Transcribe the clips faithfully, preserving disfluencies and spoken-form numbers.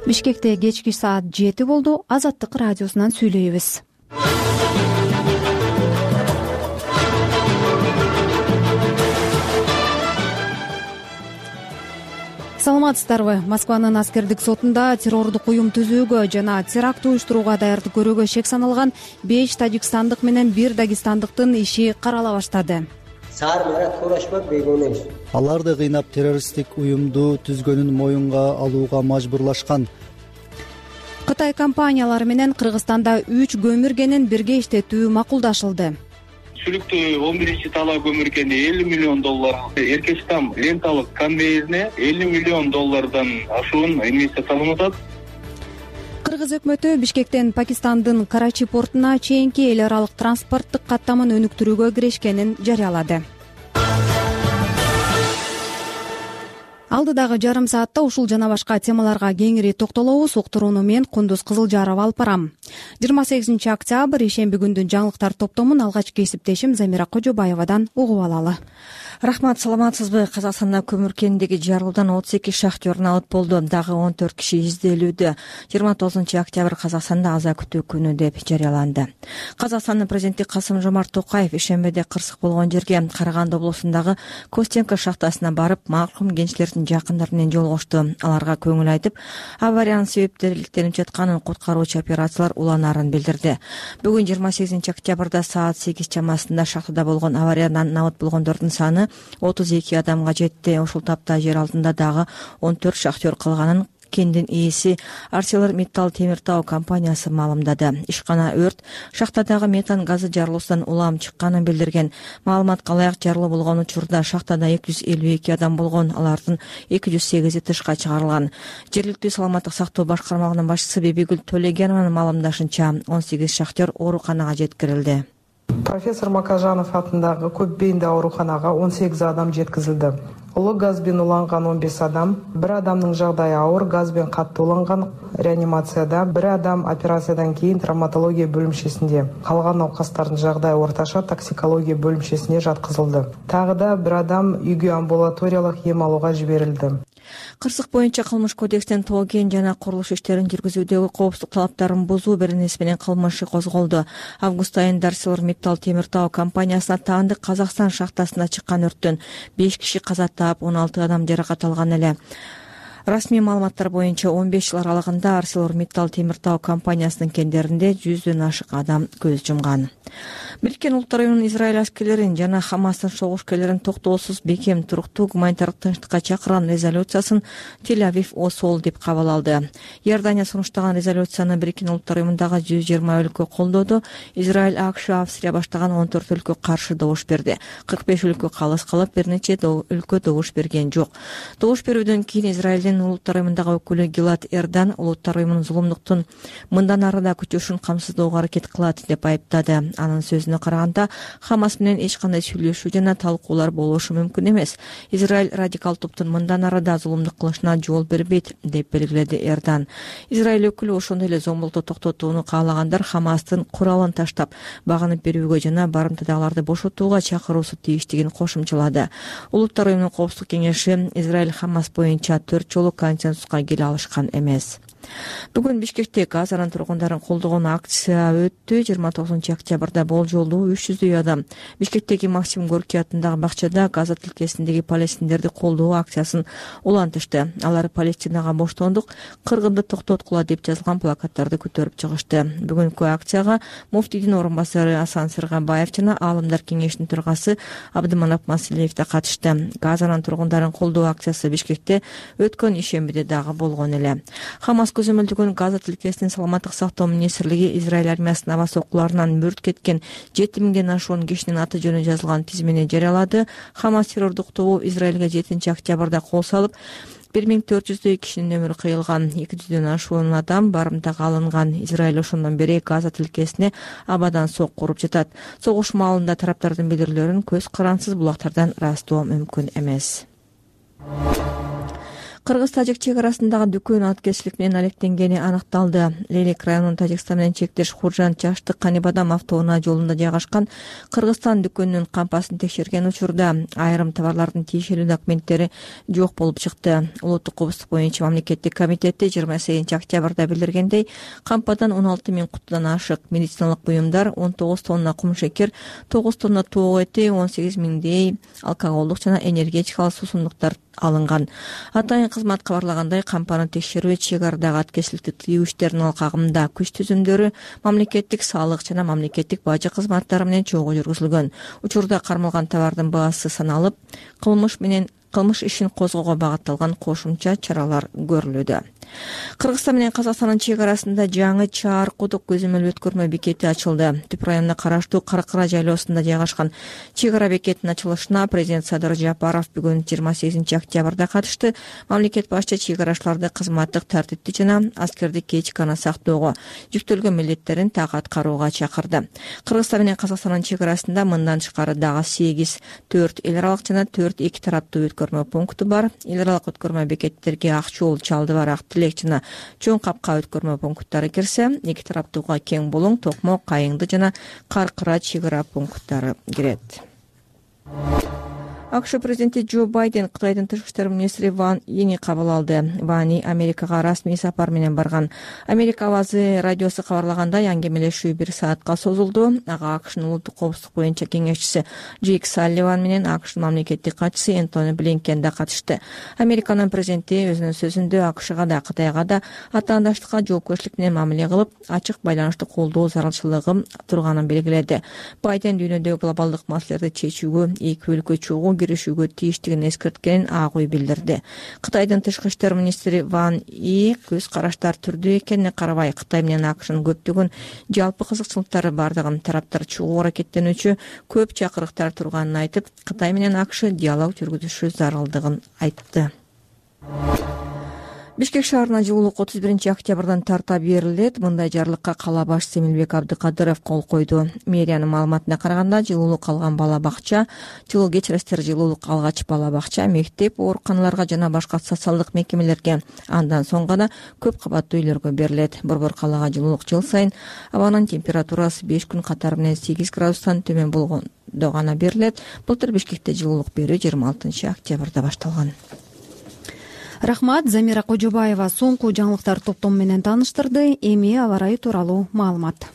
Бишкекте кечки саат жети болду. Азаттык радиосунан сүйлөйбүз. Саламатсыздарбы? Москванын аскердик сотунда террордук уюм түзүүгө жана теракт уюштурууга даярдык көрүүгө шек саналган беш тажикстандык менен бир дагестандыктын иши карала баштады. Аларды кыйнап террористтик уюмду түзгөнүн моюнга алууга мажбурлашкан. Кытай компаниялары менен Кыргызстанда үч көмүргенин бирге иштетүү макулдашылды. Сүлүктүү он биринчи талаа көмүргени элүү миллион доллар, Эркечтам ленталык конвейерине элүү миллион доллардан ашуун инвестиция салынып атат. Кыргыз өкмөтү Бишкектен Пакистандын Карачи портуна чейинки эл аралык транспорттук каттамын өнүктүрүүгө киришкенин жарыялады. Алдыдагы жарым саатта ушул жана башка темаларга кеңири токтолобуз. Уктурууну мен Кундуз Кызылжарова алып барам. жыйырма сегизинчи октябрь ишемби күндүн жаңылыктар топтомун алгачкы кесиптешим Замира Кожобаевадан угуп алалы. Рахмат, саламатсызбы? Казакстанда көмүр кенидеги жарылуудан отуз эки шахтер алып болду. Дагы он төрт киши изделүүдө. жыйырма тогузунчу октябрь Казакстанда аза күтүү күнү деп жарыяланды. Казакстандын президенти Касым-Жомарт Токаев ишембиде кырсык болгон жерге Караганды облусундагы Костенко шахтасына барып, маркум кенчилердин жакындары менен жолугушту. Аларга көңүл айтып, авариянын себептери иликтелип жатканын, куткаруучу операциялар уланаарын билдирди. Бүгүн жыйырма сегизинчи октябрда саат сегиз чамасында шахтада болгон авариядан набыт болгондордун саны отуз эки адамга жетти. Ошол тапта жер алдында дагы он төрт шахтер калганын кендин ээси ArcelorMittal темир тоо компаниясы маалымдады. Ишкана өрт шахтадагы метан газы жарылуусунан улам чыкканын билдирген. Маалыматка ылайык, жарылуу болгон учурда шахтада эки жүз элүү эки адам болгон, алардын эки жүз сегизи тышка чыгарылган. Жергиликтүү саламаттык сактоо башкармалыгынын башчысы Бибигүл Төлегенованын маалымдашынча, он сегиз шахтер ооруканага жеткирилди. Профессор Макажанов атындагы көп бейиндүү ооруканага он сегиз адам жеткизилди. Улуу газбен уланган он беш адам, бир адамдын жагдайы ауыр, газбен катты уланган реанимацияда, бир адам операциядан кийин травматология бөлүмчесинде. Калган науқастардын жагдайы орташа токсикология бөлүмчесине жаткызылды. Тагы да бир адам үйгө амбулаториялык эм алууга жиберилди. Кырсык боюнча кылмыш кодекстен тоо кен жана курулуш иштерин жүргүзүүдөгү коопсуздук талаптарын бузуу беренеси менен кылмыш козголду. Август айында ArcelorMittal темир тоо компаниясына таандык Казакстан шахтасында чыккан өрттөн беш киши каза таап, он алты адам жаракат алган эле. Расмий маалыматтар боюнча он беш жыл аралыгында ArcelorMittal темир тоо компаниясынын кендеринде жүздөн ашык адам көз жумган. Бириккен Улуттар уюмунун Израиль аскерлерин жана Хамастын согушкерлерин токтоосуз, бекем, туруктуу гуманитардык тынчтыкка чакырган резолюциясын Тель-Авив осол деп кабыл алды. Иордания сунуштаган резолюцияны Бириккен Улуттар уюмундагы жүз жыйырма өлкө колдоду. Израиль, АКШ, Австрия баштаган он төрт өлкө каршы добуш берди. кырк беш өлкө калыс калып, бир нече өлкө добуш берген жок. Добуш берүүдөн кийин Израилдин Улуттар уюмундагы өкүлү Гилад Эрдан Улуттар уюмунун зулумдуктун мындан ары да күчөшүн камсыздоого аракет кылат деп айыптады. Анын сөзүнө караганда, Хамас менен эч кандай сүйлөшүү жана талкуулар болушу мүмкүн эмес. Израиль радикал топтун мындан ары да зулумдук кылышына жол бербейт деп белгиледи Эрдан. Израиль өкүлү ошондой эле зомбулукту токтотууну каалагандар Хамастын куралын таштап, багынып берүүгө жана барымтадагыларды бошотууга чакыруусу тийиштигин кошумчалады. Улуттар уюмунун коопсуздук кеңеши Израиль Хамас боюнча төрт жолу консенсуска келе алышкан эмес. Бүгүн Бишкекте Газанын тургундарын колдогон акция өттү. жыйырма тогузунчу октябрда болжолдуу үч жүздөй адам Бишкектеги Максим Горький атындагы бакчада Газа тилкесиндеги палестиндерди колдоо акциясын улантышты. Алар Палестинага боштондук, кыргынды токтоткула деп жазылган плакаттарды көтөрүп чыгышты. Бүгүнкү акцияга муфтийдин орун басары Асан Сыргабаев жана Аалымдар кеңешинин төрагасы Абдыманап Маселиев да катышты. Газанын тургундарын колдоо акциясы Бишкекте өткөн ишембиде дагы болгон эле. Хамас көзөмөлдөгөн Газа тилкесинин саламаттык сактоо министрлиги Израиль армиясынын аба соккуларынан мүрт кеткен жети миңден ашуун кишинин аты жөнү жазылган тизмени жарыялады. Хамас террордук тобу Израилге жетинчи октябрда кол салып, бир миң төрт жүздөй кишинин өмүрү кыйылган, эки жүздөн ашуун адам барымтага алынган. Израиль ошондон бери Газа тилкесине абадан сок куруп жатат. Согуш маалында тараптардын билдирүүлөрүн көз карансыз булактардан ырастоо мүмкүн эмес. Кыргыз-тажик чек арасындагы дүкөн аткезчилик менен алектенгени аныкталды. Лелек районунун Тажикстан менен чектеш Хуржан Чаштык Канибадам автоунаа жолунда жайгашкан Кыргызстан дүкөнүнүн кампасын текшерген учурда айрым товарлардын тиешелүү документтери жок болуп чыкты. Улуттук коопсуздук боюнча мамлекеттик комитети жыйырма сегизинчи октябрда билдиргендей, кампадан он алты миң кутудан ашык медициналык буюмдар, он тогуз тонна кумшекер, тогуз тонна тоок эти, он сегиз миңдей алкоголдук жана энергетикалык суусундуктар алынган. Атайын кызмат кабарлагандай, кампаны текшерүү чек арадагы аткезчиликти тыюу иштеринин алкагында күч түзүмдөрү, мамлекеттик салык жана мамлекеттик бажы кызматтары менен чогуу жүргүзүлгөн. Учурда кармалган товардын баасы саналып, кылмыш менен кылмыш ишин козгоого багытталган кошумча чаралар көрүлүүдө. Кыргызстан менен Казакстандын чек арасында жаңы Чаар кудук көзөмөл өткөрмө бекети ачылды. Түп районуна караштуу Каракыра жайлоосунда жайгашкан чек ара бекетинин ачылышына президент Садыр Жапаров бүгүн жыйырма сегизинчи октябрда катышты. Мамлекет башчы чек арачыларды кызматтык тартипти жана аскердик этиканы сактоого, жүктөлгөн милдеттерин так аткарууга чакырды. Кыргызстан менен Казакстандын чек арасында мындан тышкары дагы сегиз, төрт эл аралык жана төрт эки тараптуу өткөрмө пункту бар. Эл аралык өткөрмө бекеттерге Акчоол, Чалды барак, Тилек жана Чоң Капка өткөрмө пункттары кирсе, эки тараптууга Кең Булуң, Токмо, Кайыңды жана Каркыра чек ара пункттары кирет. АКШ президенти Джо Байден Кытайдын тышкы иштер министри Ван Йини кабыл алды. Ван Йи Америкага расмий сапар менен барган. Америка авазы радиосу кабарлагандай, аңгемелешүү бир саатка созулду. Ага АКШнын улуттук коопсуздук боюнча кеңешчиси Джейк Салливан менен АКШнын мамлекеттик катчысы Энтони Блинкен да катышты. Американын президенти өзүнүн сөзүндө АКШга да Кытайга да атаандаштыкка жоопкерчилик менен мамиле кылып, ачык байланышты колдоо зарылчылыгы турганын белгиледи. Байден дүйнөдөгү глобалдык маселелерди чечүүгө эки өлкө чогуу киришүүгө тийиштигин эскерткенин ак ой билдирди. Кытайдын тышкы иштер министри Ван Йи көз караштар түрдүү экенине карабай, Кытай менен АКШнын көптөгөн жалпы кызыкчылыктары бардыгын тараптар чогуу аракеттенүүчү көп чакырыктар турганын айтып, Кытай менен АКШ диалог жүргүзүшү зарылдыгын айтты. Бишкек шаарына жылуулук отуз биринчи октябрдан тарта берилет. Мындай жарлыкка кала башчысы Эмилбек Абдыкадыров кол койду. Мэриянын маалыматына караганда, жылуулук алган бала бакча, жылуу кечиресиздер, жылуулук алгач бала бакча, мектеп, ооруканаларга жана башка социалдык мекемелерге, андан соң гана көп кабаттуу үйлөргө берилет. Борбор калаага жылуулук жыл сайын абанын температурасы беш күн катары менен сегиз градустан төмөн болгондо гана берилет. Былтыр Бишкекте жылуулук берүү жыйырма алтынчы октябрда башталган. Рахмат, Замира Кожобаева соңку жаңылыктар топтому менен тааныштырды. Эми аба ырайы тууралуу маалымат.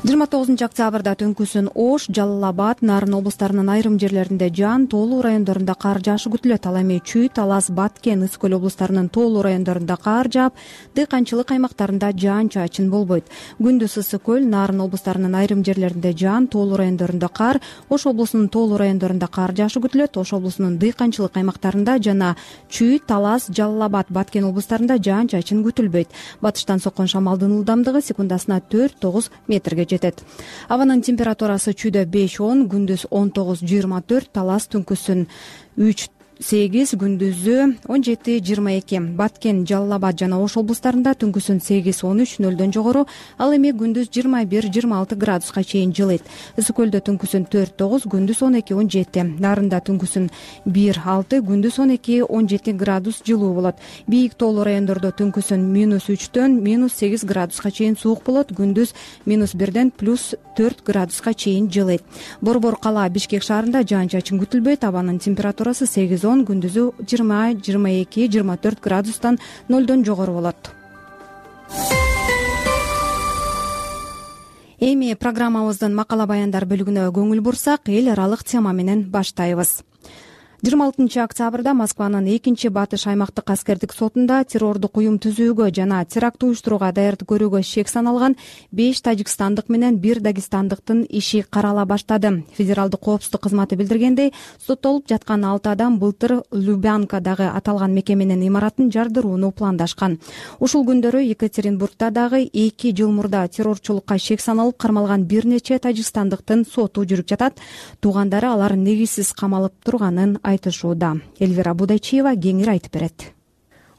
жыйырма тогузунчу октябрда түнкүсүн Ош, Жалал Абад, Нарын облустарынын айрым жерлеринде жаан, тоолуу райондорунда кар жаашы күтүлөт. Ал эми Чүй, Талас, Баткен, Ысык көл облустарынын тоолуу райондорунда кар жаап, дыйканчылык аймактарында жаан-чачын болбойт. Күндүз Ысык көл, Нарын облустарынын айрым жерлеринде жаан, тоолуу райондорунда кар, Ош облусунун тоолуу райондорунда кар жаашы күтүлөт. Ош облусунун дыйканчылык аймактарында жана Чүй, Талас, Жалал Абад, Баткен облустарында жаан-чачын күтүлбөйт. Батыштан соккон шамалдын ылдамдыгы секундасына төрт тогуз метрге жетет. Абанын температурасы Чүйдө беш он, күндүз он тогуз жыйырма төрт, Талас түнкүсүн үч сегиз, күндүзү он жети жыйырма эки. Баткен, Жалал Абад жана Ош облустарында түнкүсүн сегиз он үч, нөлдөн жогору, ал эми күндүз жыйырма бир жыйырма алты градуска чейин жылыйт. Ысык көлдө түнкүсүн төрт тогуз, күндүз он эки он жети. Нарында түнкүсүн бир алты, күндүз он эки он жети градус жылуу болот. Бийик тоолуу райондордо түнкүсүн минус үчтөн минус сегиз градуска чейин суук болот, күндүз минус бирден плюс төрт градуска чейин жылыйт. Борбор кала Бишкек шаарында жаан-чачын күтүлбөйт. Абанын температурасы сегиз он, күндүзү жыйырма жыйырма эки жыйырма төрт градустан нөлдөн жогору болот. Эми программабыздын макала баяндар бөлүгүнө көңүл бурсак, эл аралык тема менен баштайбыз. жыйырма алтынчы октябрда Москванын экинчи батыш аймактык аскердик сотунда террордук уюм түзүүгө жана теракт уюштурууга даярдык көрүүгө шек саналган беш тажикстандык менен бир дагестандыктын иши карала баштады. Федералдык коопсуздук кызматы билдиргендей, соттолуп жаткан алты адам былтыр Любянкадагы аталган мекеменин имаратын жардырууну пландашкан. Ушул күндөрү Екатеринбургда дагы эки жыл мурда террорчулукка шек саналып кармалган бир нече тажикстандыктын соту жүрүп жатат. Туугандары алар негизсиз камалып турганын айтышууда. Эльвира Будайчиева кеңири айтып берет.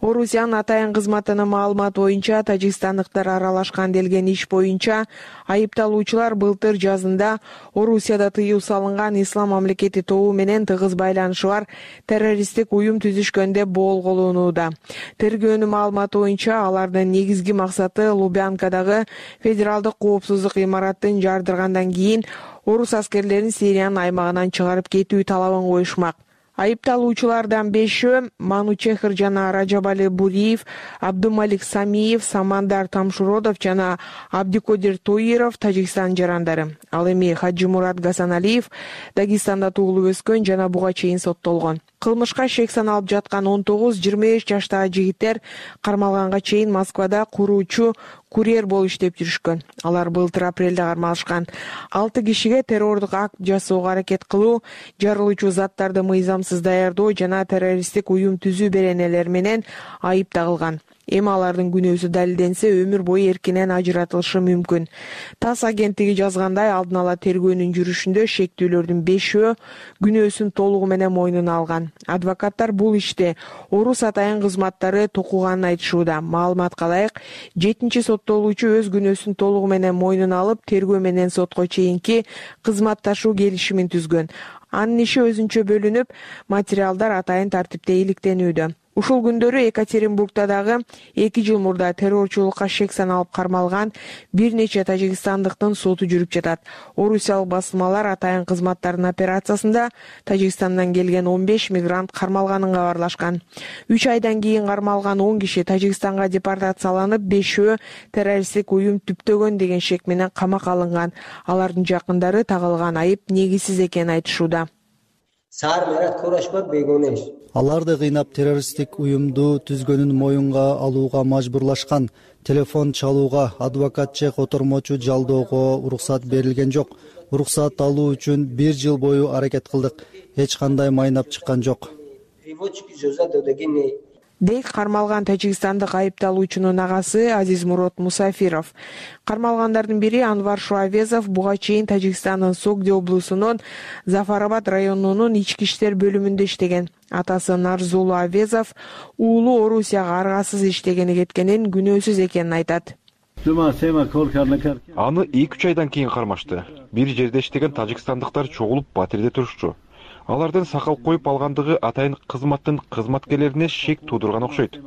Орусиянын атайын кызматынын маалыматы боюнча тажикстандыктар аралашкан делген иш боюнча айыпталуучулар былтыр жазында Орусияда тыюу салынган Ислам мамлекети тобу менен тыгыз байланышы бар террористтик уюм түзүшкөн деп боолголуунууда. Тергөөнүн маалыматы боюнча алардын негизги максаты Лубянкадагы федералдык коопсуздук имаратын жардыргандан кийин орус аскерлерин Сириянын аймагынан чыгарып кетүү талабын коюшмак. Айыпталуучулардан бешөө Манучехр жана Раджабали Буриев, Абдумалик Самиев, Самандар Тамшуродов жана Абдикодир Тоиров Тажикстан жарандары. Ал эми Хаджимурат Гасаналиев Дагестанда туулуп өскөн жана буга чейин соттолгон. Кылмышка шек саналып жаткан он тогуз жыйырма беш жаштагы жигиттер кармалганга чейин Москвада куруучу курьер болуп иштеп жүрүшкөн. Алар былтыр апрелде кармалышкан. алты кишиге террордук акт жасоого аракет кылуу, жарылуучу заттарды мыйзамсыз даярдоо жана террористтик уюм түзүү беренелери менен айып тагылган. Эми алардын күнөөсү далилденсе, өмүр бою эркинен ажыратылышы мүмкүн. ТАСС агенттиги жазгандай, алдын ала тергөөнүн жүрүшүндө шектүүлөрдүн бешөө күнөөсүн толугу менен мойнуна алган. Адвокаттар бул иште орус атайын кызматтары токуганын айтышууда. Маалыматка ылайык, жетинчи соттолуучу өз күнөөсүн толугу менен мойнуна алып, тергөө менен сотко чейинки кызматташуу келишимин түзгөн. Анын иши өзүнчө бөлүнүп, материалдар атайын тартипте иликтенүүдө. Ушул күндөрү Екатеринбургда дагы эки жыл мурда террорчулукка шек саналып кармалган бир нече тажикстандыктын соту жүрүп жатат. Орусиялык басылмалар атайын кызматтардын операциясында Тажикстандан келген он беш мигрант кармалганын кабарлашкан. үч айдан кийин кармалган он киши Тажикстанга депортацияланып, бешөө террористтик уюм түптөгөн деген шек менен камакка алынган. Алардын жакындары тагылган айып негизсиз экенин айтышууда. Аларды кыйнап террористтик уюмду түзгөнүн моюнга алууга мажбурлашкан. Телефон чалууга, адвокат же котормочу жалоого уруксат берилген жок. Уруксат алуу үчүн бир жыл бою аракет кылдык. Эч кандай майнап чыккан жок. Дейт кармалган тажикстандык айыпталуучунун агасы Азизмурод Мусафиров. Кармалгандардын бири Анвар Шуавезов буга чейин Тажикстандын Согди облусунун Зафарабад районунун ички иштер бөлүмүндө иштеген. Атасы Нарзулу Авезов уулу Орусияга аргасыз иштегени кеткенин, күнөөсүз экенин айтат. Аны эки үч айдан кийин кармашты. Бир жерде иштеген тажикстандыктар чогулуп батирде турушчу. Алардын сакал коюп алгандыгы атайын кызматтын кызматкерлерине шек туудурган окшойт.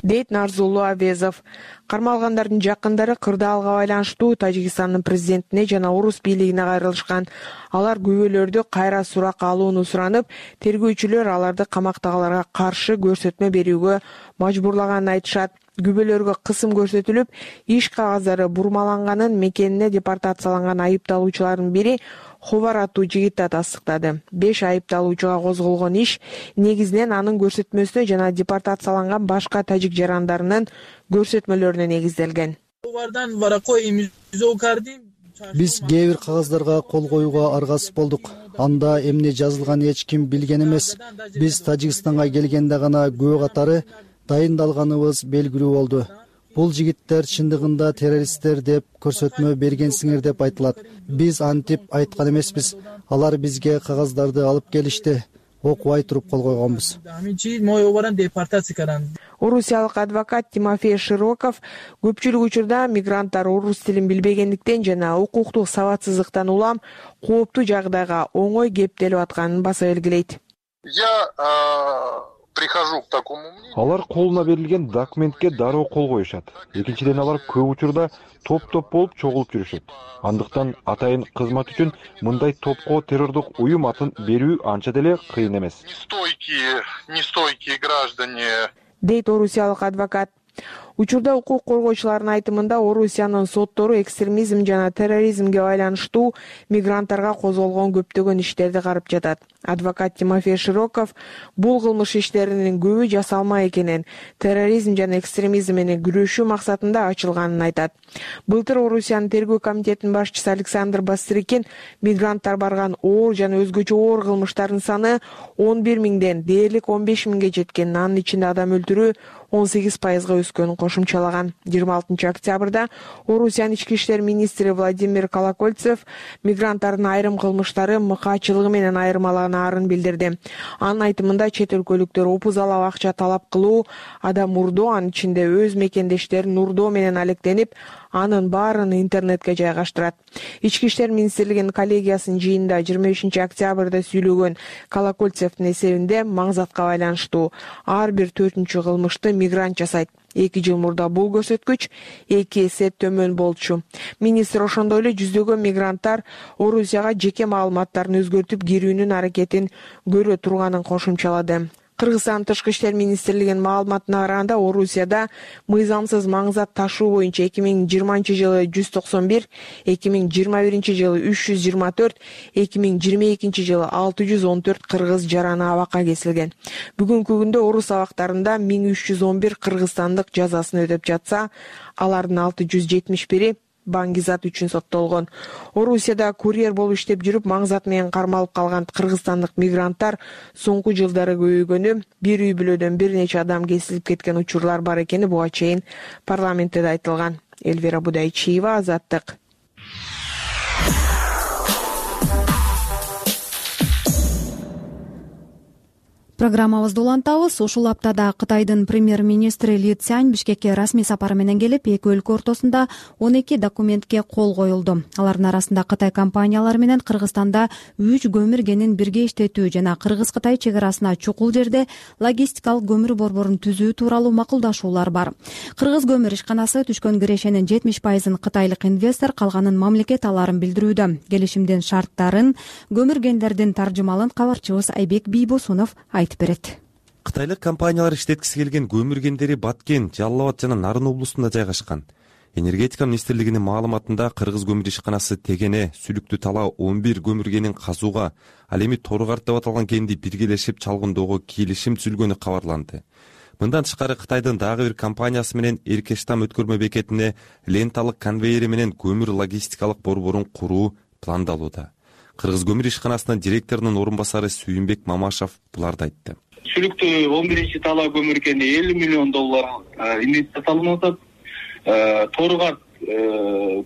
Дейт Нарзулу Авезов. Кармалгандардын жакындары кырдаалга байланыштуу Тажикстандын президентине жана орус бийлигине кайрылышкан. Алар күбөлөрдү кайра суракка алууну суранып, тергөөчүлөр аларды камактагыларга каршы көрсөтмө берүүгө мажбурлаганын айтышат. Күбөлөргө кысым көрсөтүлүп, иш кагаздары бурмаланганын, мекенине депортацияланган айыпталуучулардын бири Ховар аттуу жигит да тастыктады. беш айыпталуучуга козголгон иш негизинен анын көрсөтмөсүнө жана депортацияланган башка тажик жарандарынын көрсөтмөлөрүнө негизделген. Биз кээ бир кагаздарга кол коюуга аргасыз болдук. Анда эмне жазылганын эч ким билген эмес. Биз Тажикстанга келгенде гана күбө катары дайындалганыбыз белгилүү болду. Бул жигиттер чындыгында террористтер деп көрсөтмө бергенсиңер деп айтылат. Биз антип айткан эмеспиз. Алар бизге кагаздарды алып келишти. Окубай туруп кол койгонбуз. Орусиялык адвокат Тимофей Широков көпчүлүк учурда мигранттар орус тилин билбегендиктен жана укуктук сабатсыздыктан улам кооптуу жагдайга оңой кептелип атканын баса белгилейт. Алар колуна берилген документке дароо кол коюшат. Экинчиден алар көп учурда топ-топ болуп чогулуп жүрүшөт. Андыктан атайын кызмат үчүн мындай топко террордук уюм атын берүү анча деле кыйын эмес. Дейт орусиялык адвокат. Учурда укук коргоочулардын айтымында Орусиянын соттору экстремизм жана терроризмге байланыштуу мигранттарга козголгон көптөгөн иштерди карап жатат. Адвокат Тимофей Широков бул кылмыш иштеринин көбү жасалма экенин, терроризм жана экстремизм менен күрөшүү максатында ачылганын айтат. Былтыр Орусиянын тергөө комитетинин башчысы Александр Бастрыкин мигранттар барган оор жана өзгөчө оор кылмыштардын саны он бир миңден дээрлик он беш миңге жеткенин, анын ичинде адам өлтүрүү он сегиз пайызга өскөнүн кошумчалаган. жыйырма алтынчы октябрда Орусиянын ички иштер министри Владимир Колокольцев мигранттардын айрым кылмыштары мыкаачылыгы менен айырмалаган даярданаарын билдирди. Анын айтымында чет өлкөлүктөр опузалап акча талап кылуу, адам урдоо, анын ичинде өз мекендештерин урдоо менен алектенип, анын баарын интернетке жайгаштырат. Ички иштер министрлигинин коллегиясынын жыйынында жыйырма бешинчи октябрда сүйлөгөн Колокольцевдин эсебинде маңзатка байланыштуу ар бир төртүнчү кылмышты мигрант жасайт. Эки жыл мурда бул көрсөткүч эки эсе төмөн болчу. Министр ошондой эле жүздөгөн мигранттар Орусияга жеке маалыматтарын өзгөртүп кирүүнүн аракетин көрө турганын кошумчалады. Кыргызстан Тышкы иштер министрлигинин маалыматына караганда, Орусияда мыйзамсыз маңзат ташуу боюнча эки миң жыйырманчы жылы жүз токсон бир, эки миң жыйырма биринчи жылы үч жүз жыйырма төрт, эки миң жыйырма экинчи жылы алты жүз он төрт кыргыз жараны абакка кесилген. Бүгүнкү күндө Орус абактарында миң үч жүз он бир кыргызстандык жазасын өтөп жатса, алардын алты жүз жетимиш бири баңгизат үчүн соттолгон. Орусияда курьер болуп иштеп жүрүп, маңзат менен кармалып калган кыргызстандык мигранттар соңку жылдары көбөйгөнү, бир үй бүлөдөн бир нече адам кесилип кеткен учурлар бар экени буга чейин парламентте да айтылган. Элвира Будайчиева, Азаттык. Программабызды улантабыз. Ушул аптада Кытайдын премьер-министри Ли Цзянь Бишкекке расмий сапары менен келип, эки өлкө ортосунда он эки документке кол коюлду. Алардын арасында Кытай компаниялары менен Кыргызстанда үч көмүр кенин бирге иштетүү жана Кыргыз-Кытай чек арасына чукул жерде логистикалык көмүр борборун түзүү тууралуу макулдашуулар бар. Кыргыз көмүр ишканасы түшкөн кирешенин жетимиш пайызын кытайлык инвестор, калганын мамлекет аларын билдирүүдө. Келишимдин шарттарын, көмүр кендердин таржымалын кабарчыбыз Айбек Бийбосунов айтты. Кытайлык компаниялар иштеткиси келген көмүр кендери Баткен, Жалал Абад жана Нарын облустунда жайгашкан. Энергетика министрлигинин маалыматында Кыргыз көмүр ишканасы Тегене, Сүлүктү Тала он бир көмүр кенин казууга, ал эми Торгарт деп аталган кенди биргелешип чалгындоого келишим түзүлгөнү кабарланды. Мындан тышкары Кытайдын дагы бир компаниясы менен Эркештам өткөрмө бекетине ленталык конвейери менен көмүр логистикалык борборун куруу пландалууда. Кыргыз көмүр ишканасынын директорунун орун басары Сүйүнбек Мамашев буларды айтты. Сүлүктү он биринчи тала көмүр кени элүү миллион доллар инвестиция салынып атат. Торгарт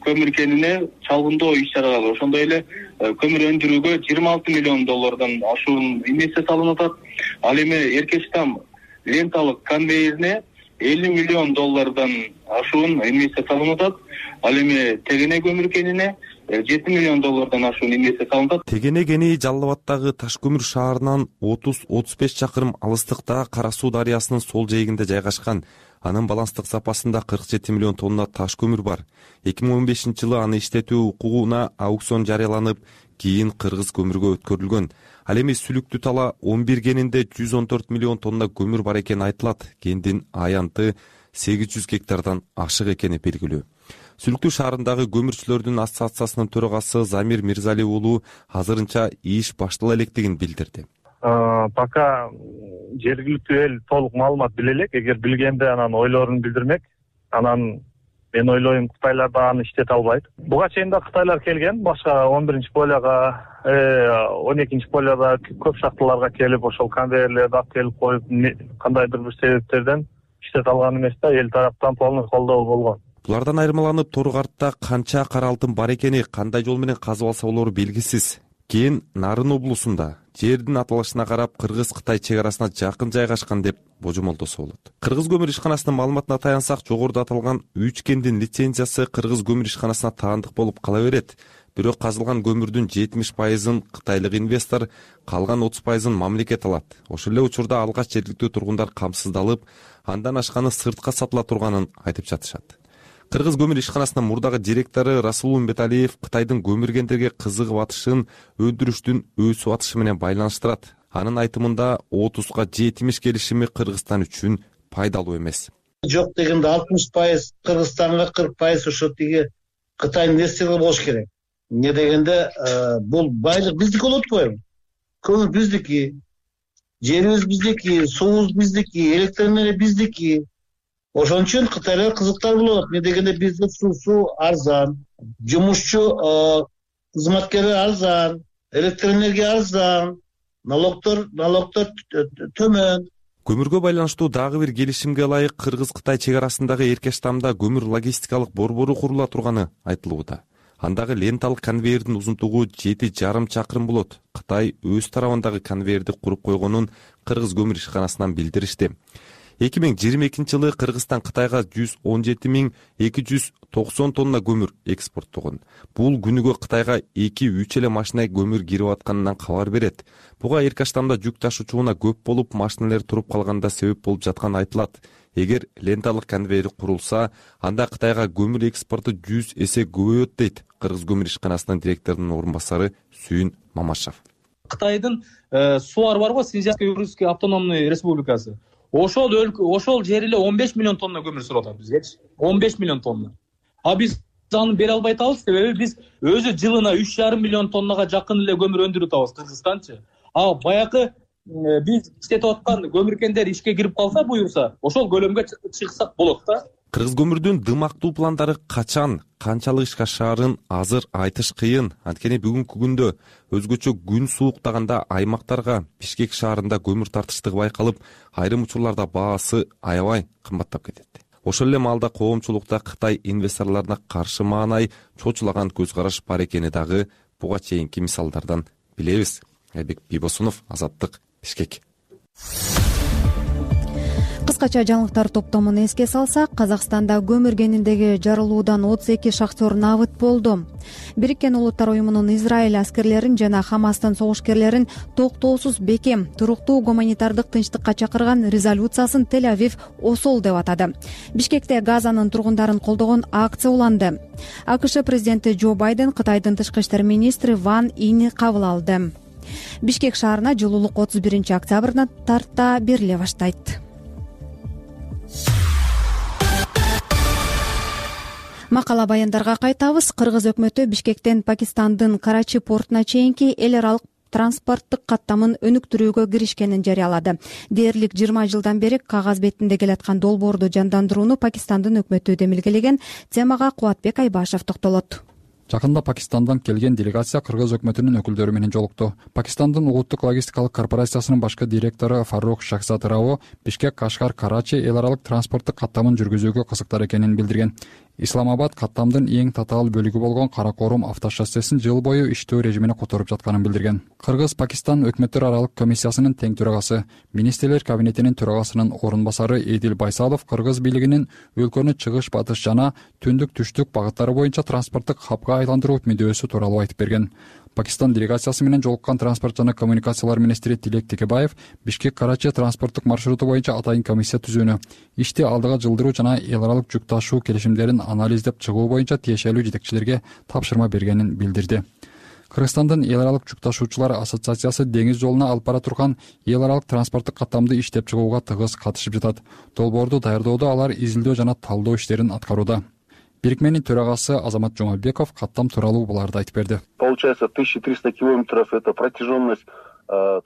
көмүр кенине чалгындоо иш чаралары, ошондой эле көмүр өндүрүүгө жыйырма алты миллион доллардан ашуун инвестиция салынып атат. Ал эми Эркештам ленталык конвейерине элүү миллион доллардан ашуун инвестиция салынып атат. Ал эми Тегене көмүр кенине жети миллион доллардан ашуун инвестиция салынат. Тегене кени Жалал Абаддагы Таш көмүр шаарынан отуз отуз беш чакырым алыстыкта Кара Суу дарыясынын сол жээгинде жайгашкан. Анын баланстык запасында кырк жети миллион тонна таш көмүр бар. эки миң он бешинчи жылы аны иштетүү укугуна аукцион жарыяланып, кийин Кыргыз көмүргө өткөрүлгөн. Ал эми Сүлүктү Тала он бир кенинде жүз он төрт миллион тонна көмүр бар экени айтылат. Кендин аянты сегиз жүз гектардан ашык экени белгилүү. Сүлүктүү шаарындагы көмүрчүлөрдүн ассоциациясынын төрагасы Замир Мирзали уулу азырынча иш баштала электигин билдирди. Пока жергиликтүү эл толук маалымат биле элек. Эгер билгенде анан ойлорун билдирмек. Анан мен ойлойм, Кытайлар да аны иштете албайт. Буга чейин да Кытайлар келген, башка он биринчи полияга, он экинчи полияда көп шахталарга келип, ошол конвейерлерди алып келип коюп, кандайдыр бир себептерден иштете алган эмес да, эл тараптан полный колдоо болгон. Булардан айырмаланып, Торгартта канча кара алтын бар экени, кандай жол менен казып алса болору белгисиз. Кийин Нарын облусунда жердин аталышына карап Кыргыз-Кытай чек арасына жакын жайгашкан деп божомолдосо болот. Кыргыз көмүр ишканасынын маалыматына таянсак, жогоруда аталган үч кендин лицензиясы Кыргыз көмүр ишканасына таандык болуп кала берет. Бирок казылган көмүрдүн жетимиш пайызын кытайлык инвестор, калган отуз пайызын мамлекет алат. Ошол эле учурда алгач жергиликтүү тургундар камсыздалып, андан ашканы сыртка сатыла турганын айтып жатышат. Кыргыз көмүр ишканасынын мурдагы директору Расул Умбеталиев Кытайдын көмүр кендерге кызыгып атышын өндүрүштүн өсүп атышы менен байланыштырат. Анын айтымында отузга жетимиш келишими Кыргызстан үчүн пайдалуу эмес. Жок дегенде алтымыш пайыз Кыргызстанга, кырк пайыз ошо тиги Кытай инвесторлор болуш керек. Эмне дегенде бул байлык биздики болуп атпайбы? Көмүр биздики, жерибиз биздики, суубуз биздики, электр энергия биздики. Ошон үчүн Кытайлар кызыктар болот. Эмне дегенде бизде суусу арзан, жумушчу кызматкерлер арзан, электр энергия арзан, налогдор налогдор төмөн. Көмүргө байланыштуу дагы бир келишимге ылайык Кыргыз-Кытай чек арасындагы Эркештамда көмүр логистикалык борбору курула турганы айтылууда. Андагы ленталык конвейердин узунтугу жети жарым чакырым болот. Кытай өз тарабындагы конвейерди куруп койгонун Кыргыз көмүр ишканасынан билдиришти. эки миң жыйырма экинчи жылы Кыргызстан Кытайга жүз он жети миң эки жүз токсон тонна көмүр экспорттогон. Бул күнүгө Кытайга эки үч эле машина көмүр кирип атканынан кабар берет. Буга эрке штамда жүк ташуучуна көп болуп, машиналар туруп калганда себеп болуп жатканы айтылат. Эгер ленталык конвейер курулса, анда Кытайга көмүр экспорту жүз эсе көбөйөт дейт Кыргыз көмүр ишканасынын директорунун орун басары Сүйүн Мамашев. Кытайдын сууар барбы, Синьцзянский Уйгурский автономный республикасы. Ошол өлкө, ошол жер эле он беш миллион тонна көмүр сурап атат бизгечи. он беш миллион тонна. А биз аны бере албай атабыз, себеби биз өзү жылына үч жарым миллион тоннага жакын эле көмүр өндүрүп атабыз Кыргызстанчы. А баягы биз иштетип аткан көмүркендер ишке кирип калса, буюрса, ошол көлөмгө чыксак болот да. Кыргыз көмүрдүн дымактуу пландары качан, канчалык ишке ашаарын азыр айтыш кыйын. Анткени бүгүнкү күндө өзгөчө күн сууктаганда аймактарга Бишкек шаарында көмүр тартыштыгы байкалып, айрым учурларда баасы аябай кымбаттап кетет. Ошол эле маалда коомчулукта Кытай инвесторлоруна каршы маанай чочулаган көз караш бар экени дагы буга чейинки мисалдардан билебиз. Айбек Бибосунов, Азаттык, Бишкек. Кыскача жаңылыктар топтомун эске салсак, Казакстанда көмүр кениндеги жарылуудан отуз эки шахтер набыт болду. Бириккен Улуттар уюмунун Израиль аскерлерин жана Хамастын согушкерлерин токтоосуз бекем, туруктуу гуманитардык тынчтыкка чакырган резолюциясын Тель-Авив осол деп атады. Бишкекте Газанын тургундарын колдогон акция уланды. АКШ президенти Джо Байден Кытайдын тышкы иштер министри Ван Ини кабыл алды. Бишкек шаарына жылуулук отуз биринчи октябрдан тарта бериле баштайт. Макала баяндарга кайтабыз. Кыргыз өкмөтү Бишкектен Пакистандын Карачи портуна чейинки эл аралык транспорттук каттамын өнүктүрүүгө киришкенин жарыялады. Дээрлик жыйырма жылдан бери кагаз бетинде келаткан долбоорду жандандырууну Пакистандын өкмөтү демилгелеген. Темага Кубатбек Айбашев токтолот. Жакында Пакистандан келген делегация Кыргыз өкмөтүнүн өкүлдөрү менен жолукту. Пакистандын улуттук логистикалык корпорациясынын башкы директору Фарук Шахзат Рао Бишкек, Кашкар, Карачи эл аралык транспорттук каттамын жүргүзүүгө кызыктар экенин билдирген. Исламабад каттамдын эң татаал бөлүгү болгон Каракорум автошоссесин жыл бою иштөө режимине которуп жатканын билдирген. Кыргыз-Пакистан өкмөттөр аралык комиссиясынын тең төрагасы, министрлер кабинетинин төрагасынын орун басары Эдил Байсалов Кыргыз бийлигинин өлкөнү чыгыш, батыш жана түндүк, түштүк багыттары боюнча транспорттук хабга айландыруу мүдөөсү тууралуу айтып берген. Пакистан делегациясы менен жолуккан транспорт жана коммуникациялар министри Тилек Текебаев Бишкек-Карачи транспорттук маршруту боюнча атайын комиссия түзүүнү, ишти алдыга жылдыруу жана эл аралык жүк ташуу келишимдерин анализдеп чыгуу боюнча тиешелүү жетекчилерге тапшырма бергенин билдирди. Кыргызстандын эл аралык жүк ташуучулар ассоциациясы деңиз жолуна алып бара турган эл аралык транспорттук каттамды иштеп чыгууга тыгыз катышып жатат. Долбоорду даярдоодо алар изилдөө жана талдоо иштерин аткарууда. Бирикменин төрагасы Азамат Жумабеков каттам тууралуу буларды айтып берди. Получается тысяча триста километров это протяженность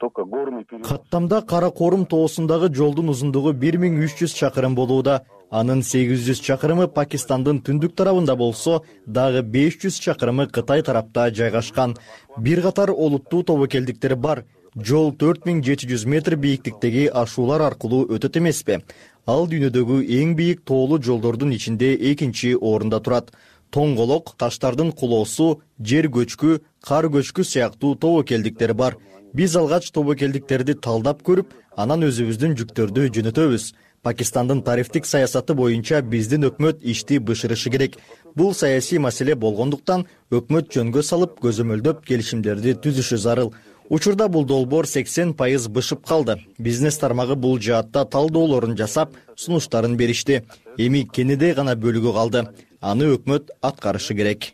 только горный перевоз. Каттамда Каракорум тоосундагы жолдун узундугу бир миң үч жүз чакырым болууда. Анын сегиз жүз чакырымы Пакистандын түндүк тарабында болсо, дагы беш жүз чакырымы Кытай тарапта жайгашкан. Бир катар олуттуу тобокелдиктер бар. Жол төрт миң жети жүз метр бийиктиктеги ашуулар аркылуу өтөт эмеспи? Ал дүйнөдөгү эң бийик тоолуу жолдордун ичинде экинчи орунда турат. Тоңголок, таштардын кулоосу, жер көчкү, кар көчкү сыяктуу тобокелдиктер бар. Биз алгач тобокелдиктерди талдап көрүп, анан өзүбүздүн жүктөрдү жөнөтөбүз. Пакистандын тарифтик саясаты боюнча биздин өкмөт ишти бышырышы керек. Бул саясий маселе болгондуктан өкмөт жөнгө салып, көзөмөлдөп келишимдерди түзүшү зарыл. Учурда бул долбоор сексен пайыз бышып калды. Бизнес тармагы бул жаатта талдоолорун жасап, сунуштарын беришти. Эми кенедей гана бөлүгү калды. Аны өкмөт аткарышы керек.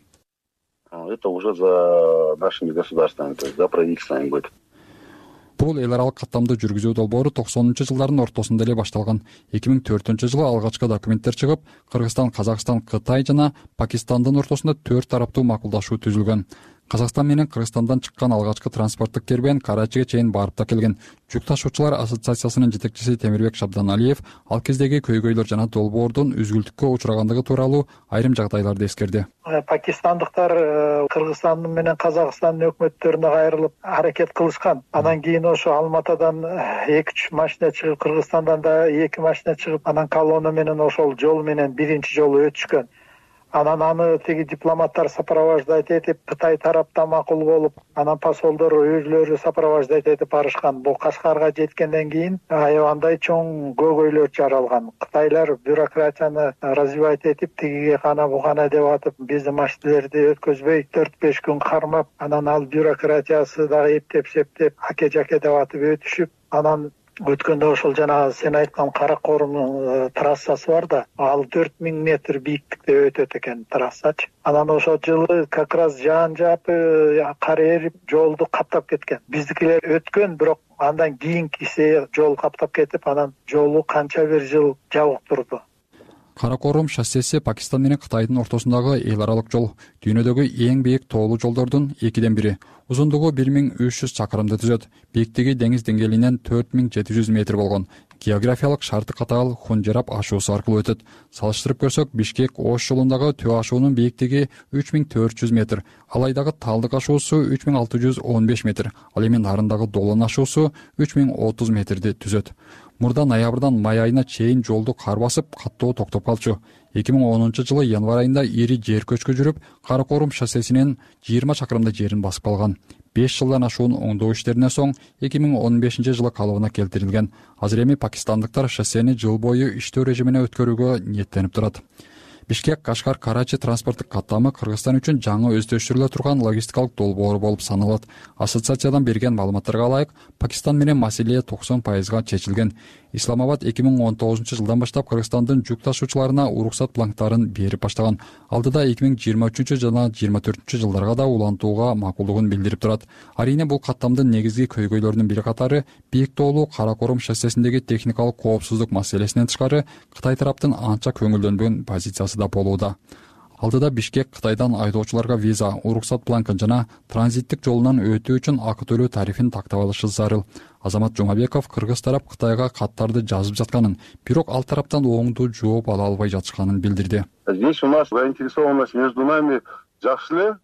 Это уже за нашими государствами, то есть за правительствами будет. Бул эл аралык каттамды жүргүзүү долбоору токсонунчу жылдардын ортосунда эле башталган. эки миң төртүнчү жылы алгачкы документтер чыгып, Кыргызстан, Казакстан, Кытай жана Пакистандын ортосунда төрт тараптуу макулдашуу түзүлгөн. Казакстан менен Кыргызстандан чыккан алгачкы транспорттук кербен Карачиге чейин барып та келген. Жүк ташуучулар ассоциациясынын жетекчиси Темирбек Шабданалиев ал кездеги көйгөйлөр жана долбоордун үзгүлтүккө учурагандыгы тууралуу айрым жагдайларды эскерди. Пакистандыктар Кыргызстандын менен Казакстандын өкмөттөрүнө кайрылып аракет кылышкан. Анан кийин ошо Алматадан эки үч машина чыгып, Кыргызстандан да эки машина чыгып, анан колонна менен ошол жол менен биринчи жолу өтүшкөн. Анан аны тиги дипломаттар сопровождать этип, Кытай тарапта макул болуп, анан посолдор өзүлөрү сопровождать этип барышкан. Бул Кашкарга жеткенден кийин аябандай чоң көйгөйлөр жаралган. Кытайлар бюрократияны развивать этип, тигиге кана бугана деп атып, биздин машиналерди өткөзбөй төрт беш күн кармап, анан ал бюрократиясы дагы эптеп септеп, аке-жаке деп атып өтүшүп, анан өткөндө ошол жана сен айткан Каракорумдун трассасы бар да, ал төрт миң метр бийиктикте өтөт экен трассачы. Анан ошол жылы как раз жаан жаап, кар эрип, жолду каптап кеткен. Биздикилер өткөн, бирок андан кийинкиси жол каптап кетип, анан жолу канча бир жыл жабык турду. Каракорум шоссеси Пакистан менен Кытайдын ортосундагы эл аралык жол, дүйнөдөгү эң бийик тоолуу жолдордун экиден бири. Узундугу бир миң үч жүз чакырымды түзөт. Бийиктиги деңиз деңгээлинен төрт миң жети жүз метр болгон. Географиялык шарты катаал Хунжерап ашуусу аркылуу өтөт. Салыштырып көрсөк, Бишкек-Ош жолундагы Төө ашуунун бийиктиги үч миң төрт жүз метр, Алайдагы Талдык ашуусу үч миң алты жүз он беш метр, ал эми Нарындагы Долон ашуусу үч миң отуз метрди түзөт. Мурда ноябрдан май айына чейин жолду кар басып, каттоо токтоп калчу. эки миң онунчу жылы январь айында ири жер көчкү жүрүп, Каракорум шоссесинен жыйырма чакырымдай жерин басып калган. беш жылдан ашуун оңдоо иштеринен соң эки миң он бешинчи жылы калыбына келтирилген. Азыр эми пакистандыктар шоссени жыл бою иштөө режимине өткөрүүгө ниеттенип турат. Бишкек-Кашкар-Карачи транспорттук каттамы Кыргызстан үчүн жаңы өздөштүрүлө турган логистикалык долбоор болуп саналат. Ассоциациядан берген маалыматтарга ылайык, Пакистан менен маселе токсон пайызга чечилген. Исламабад эки миң он тогузунчу жылдан баштап Кыргызстандын жүк ташуучуларына уруксат бланктарын берип баштаган. Алдыда эки миң жыйырма үчүнчү жана жыйырма төртүнчү жылдарга да улантууга макулдугун билдирип турат. Арийне бул каттамдын негизги көйгөйлөрүнүн бири катары бийик тоолуу Каракорум шоссесиндеги техникалык коопсуздук маселесинен тышкары Кытай тараптын анча көңүлдөнбөгөн позициясы да болууда. Алдыда Бишкек Кытайдан айдоочуларга виза, уруксат бланкын жана транзиттик жолунан өтүү үчүн акы төлөө тарифин тактап алышы зарыл. Азамат Жумабеков Кыргыз тарап Кытайга каттарды жазып жатканын, бирок ал тараптан оңдуу жооп ала албай жатышканын билдирди. Здесь у нас заинтересованность между нами жакшы эле.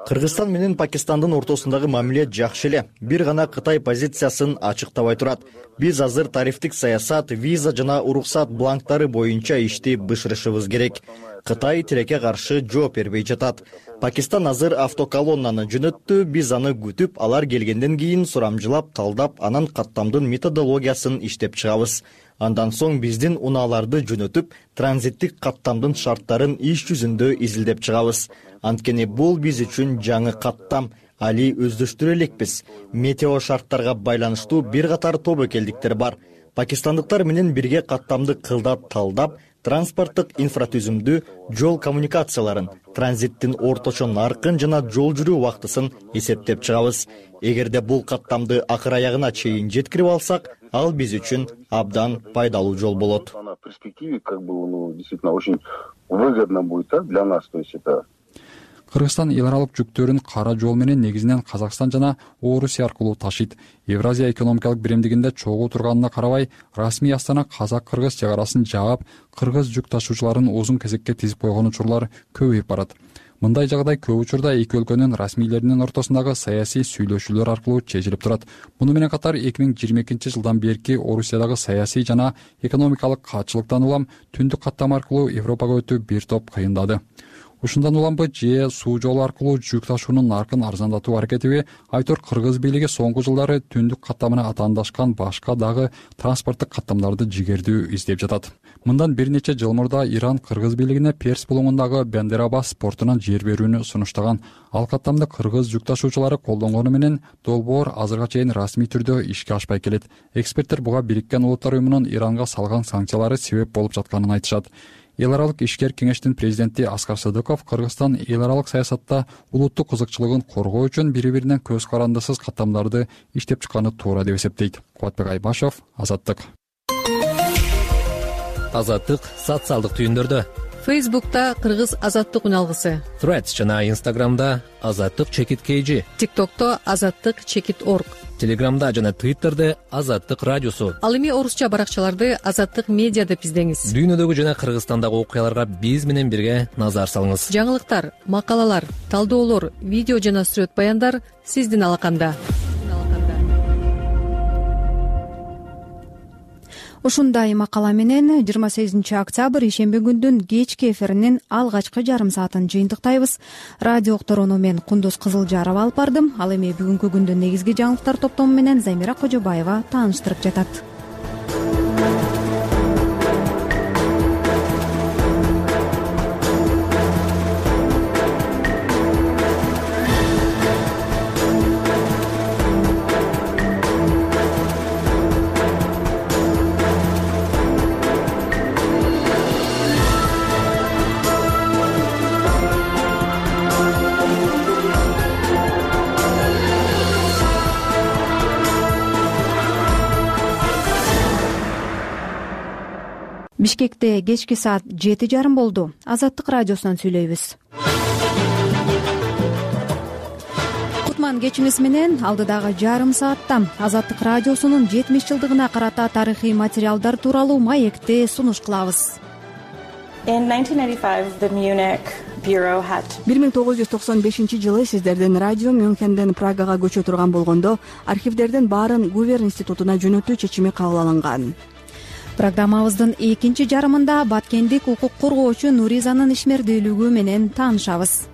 Кыргызстан менен Пакистандын ортосундагы мамиле жакшы эле. Бир гана Кытай позициясын ачыктабай турат. Биз азыр тарифтик саясат, виза жана уруксат бланктары боюнча ишти бышырышыбыз керек. Кытай тилекке каршы жооп бербей жатат. Пакистан азыр автоколоннаны жөнөттү, биз аны күтүп, алар келгенден кийин сурамжылап, талдап, анан каттамдын методологиясын иштеп чыгабыз. Андан соң биздин унааларды жөнөтүп, транзиттик каттамдын шарттарын иш жүзүндө изилдеп чыгабыз. Анткени бул биз үчүн жаңы каттам, али өздөштүрө элекпиз. Метео шарттарга байланыштуу бир катар тобокелдиктер бар. Пакистандыктар менен бирге каттамды кылдап талдап, транспорттук инфратүзүмдү, жол коммуникацияларын, транзиттин орточо наркын жана жол жүрүү убактысын эсептеп чыгабыз. Эгерде бул каттамды акыр аягына чейин жеткирип алсак, ал биз үчүн абдан пайдалуу жол болот. В перспективе как бы, ну, действительно очень выгодно будет для нас, то есть это Кыргызстан эл аралык жүктөрүн кара жол менен негизинен Казакстан жана Орусия аркылуу ташыйт. Евразия экономикалык биримдигинде чогуу турганына карабай, расмий Астана казак-кыргыз чек арасын жаап, кыргыз жүк ташуучуларын узун кезекке тизип койгон учурлар көбөйүп барат. Мындай жагдай көп учурда эки өлкөнүн расмийлеринин ортосундагы саясий сүйлөшүүлөр аркылуу чечилип турат. Муну менен катар эки миң жыйырма экинчи жылдан берки Орусиядагы саясий жана экономикалык катчылыктан улам түндүк каттама аркылуу Европага өтүү бир топ кыйындады. Ушундан уламбы же суу жолу аркылуу жүк ташуунун наркын арзандатуу аракетиби айтор кыргыз бийлиги соңку жылдары түндүк каттамына атаандашкан башка дагы транспорттук каттамдарды жигердүү издеп жатат. Мындан бир нече жыл мурда Иран кыргыз бийлигине Перс булуңундагы Бендерабас портунан жер берүүнү сунуштаган. Ал каттамды кыргыз жүк ташуучулары колдонгону менен долбоор азырга чейин расмий түрдө ишке ашпай келет. Эксперттер буга Бириккен Улуттар уюмунун Иранга салган санкциялары себеп болуп жатканын айтышат. Эл аралык ишкер кеңештин президенти Аскар Садыков Кыргызстан эл аралык саясатта улуттук кызыкчылыгын коргоо үчүн бири-бирине көз карандысыз каттамдарды иштеп чыкканы туура деп эсептейт. Кубатбек Айбашев, Азаттык. Азаттык социалдык түйүндөрдө. Фейсбукта Кыргыз Азаттык үналгысы. Threads жана Инстаграмда Азаттык чекит kg. ТикТокто Азаттык чекит орг. Телеграмда жана Твиттерде Азаттык радиосу. Ал эми орусча баракчаларды Азаттык медиа деп издеңиз. Дүйнөдөгү жана Кыргызстандагы окуяларга биз менен бирге назар салыңыз. Жаңылыктар, макалалар, талдоолор, видео жана сүрөт баяндар сиздин алаканда. ушундай макала менен жыйырма сегизинчи октябрь ишемби күндүн кечки эфиринин алгачкы жарым саатын жыйынтыктайбыз. Радио уктурууну мен Кундуз Кызылжарова алып бардым. Ал эми бүгүнкү күндүн негизги жаңылыктар топтому менен Замира Кожобаева тааныштырып жатат. Бишкекте кечки саат жети жарым болду. Азаттык радиосунан сүйлөйбүз. Кутман кечиңиз менен алдыдагы жарым саатта Азаттык радиосунун жетимиш жылдыгына карата тарыхый материалдар тууралуу маекти сунуш кылабыз. бир миң тогуз жүз токсон бешинчи жылы сиздердин радио Мюнхенден Прагага көчө турган болгондо архивдердин баарын Гувер институтуна жөнөтүү чечими кабыл алынган. Программабыздын экинчи жарымында баткендик укук коргоочу Нуризанын ишмердүүлүгү менен таанышабыз.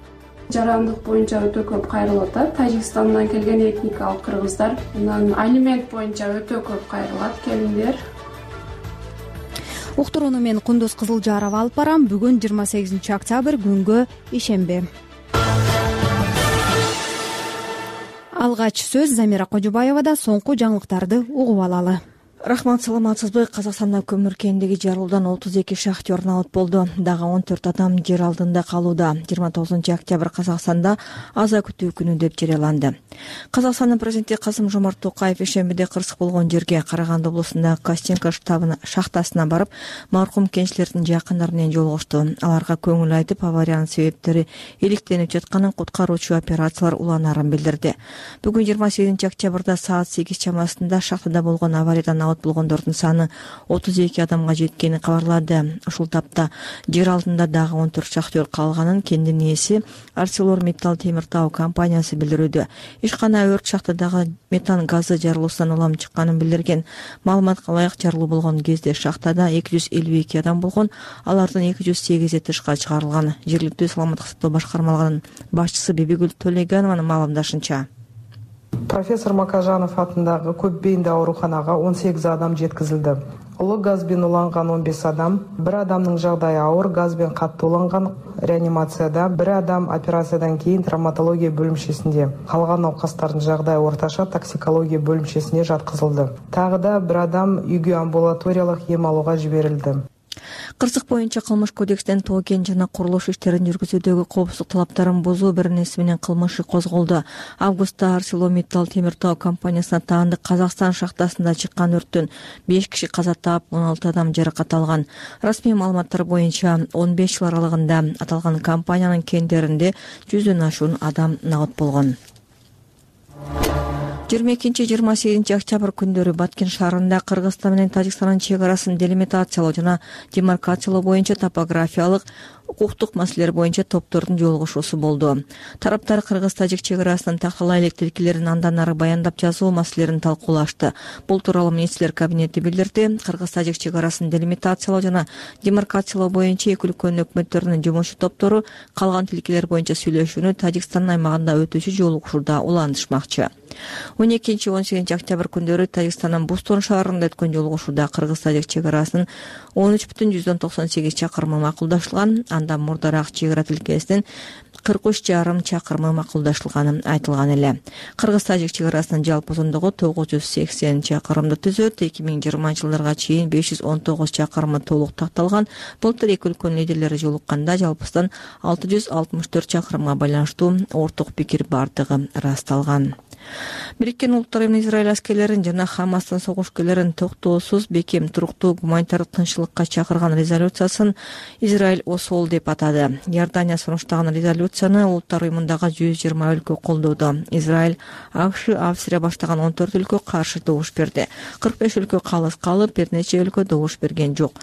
Жарандык боюнча өтө көп кайрылып атат. Тажикстандан келген этникалык кыргыздар, анан алимент боюнча өтө көп кайрылат келиндер. Уктурууну мен Кундуз Кызылжарова алып барам. Бүгүн жыйырма сегизинчи октябрь күнгө ишемби. Алгач сөз Замира Кожобаевада, соңку жаңылыктарды угуп алалы. Рахмат, саламатсызбы? Казакстанда көмүр кендиги жарылуудан отуз эки шахтер наот болду. Дагы он төрт адам жер алдында калууда. жыйырма тогузунчу октябрь Казакстанда аза күтүү күнү деп жарыяланды. Казакстандын президенти Касым-Жомарт Токаев ишембиде кырсык болгон жерге Караганды облусундагы Костенко штабына шахтасына барып, маркум кенчилердин жакындары менен жолугушту. Аларга көңүл айтып, авариянын себептери иликтенип жатканын, куткаруучу операциялар уланаарын билдирди. Бүгүн жыйырма сегизинчи октябрда саат сегиз чамасында шахтада болгон авариядан болгондордун саны отуз эки адамга жеткенин кабарлады. Ушул тапта жер алдында дагы он төрт шахтер калганын кендин ээси ArcelorMittal темир тоо компаниясы билдирүүдө. Ишкана өрт шахтадагы метан газы жарылуусунан улам чыкканын билдирген. Маалыматка ылайык, жарылуу болгон кезде шахтада эки жүз элүү эки адам болгон, алардын эки жүз сегизи тышка чыгарылган. Жергиликтүү саламаттык сактоо башкармалыгынын башчысы Бибигүл Төлегенованын маалымдашынча, профессор Макажанов атындагы көп бейиндүү ооруканага он сегиз адам жеткизилди. Улуу газбен уланган он беш адам, бир адамдын жагдайы ауыр, газбен катты уланган реанимацияда, бир адам операциядан кийин травматология бөлүмчесинде. Калган науқастардын жагдайы орташа токсикология бөлүмчесине жаткызылды. Тагы да бир адам үйгө амбулаториялык эм алууга жиберилди. Кырсык боюнча кылмыш кодекстен тоо кен жана курулуш иштерин жүргүзүүдөгү коопсуздук талаптарын бузуу беренеси менен кылмышы козголду. Августта ArcelorMittal темир тоо компаниясына таандык Казакстан шахтасында чыккан өрттөн беш киши каза таап, он алты адам жаракат алган. Расмий маалыматтар боюнча он беш жыл аралыгында аталган компаниянын кендеринде жүздөн ашуун адам наот болгон. жыйырма экинчи жыйырма сегизинчи октябрь күндөрү Баткен шаарында Кыргызстан менен Тажикстандын чек арасын делимитациялоо жана демаркациялоо боюнча топографиялык, укуктук маселелер боюнча топтордун жолугушуусу болду. Тараптар Кыргыз-Тажик чек арасынын тактала элек тилкелерин андан ары баяндап жазуу маселелерин талкуулашты. Бул тууралуу министрлер кабинети билдирди. Кыргыз-Тажик чек арасын делимитациялоо жана демаркациялоо боюнча эки өлкөнүн өкмөттөрүнүн жумуш топтору калган тилкелер боюнча сүйлөшүүнү Тажикстандын аймагында өтүүчү жолугушууда улантышмакчы. он экинчи он сегизинчи октябрь күндөрү Тажикстандын Бустон шаарында өткөн жолугушууда Кыргыз-Тажик чек арасынын он үч бүтүн жүздөн токсон сегиз чакырымы макулдашылган. Андан мурдараак чек ара тилкесинин кырк үч жарым чакырымы макулдашылганы айтылган эле. Кыргыз-Тажик чек арасынын жалпы узундугу тогуз жүз сексен чакырымды түзөт. эки миң жыйырманчы жылдарга чейин беш жүз он тогуз чакырымы толук такталган. Былтыр эки өлкөнүн лидерлери жолукканда жалпысынан алты жүз алтымыш төрт чакырымга байланыштуу орток пикир бардыгы ырасталган. Бириккен Улуттар Уюмунун Израиль аскерлерин жана Хамастын согушкерлерин токтоосуз, бекем, туруктуу гуманитардык тынччылыкка чакырган резолюциясын Израиль осол деп атады. Иордания сунуштаган резолюцияны Улуттар Уюмундагы жүз жыйырма өлкө колдоду. Израиль, АКШ, Австрия баштаган он төрт өлкө каршы добуш берди. кырк беш өлкө калыс калып, бир нече өлкө добуш берген жок.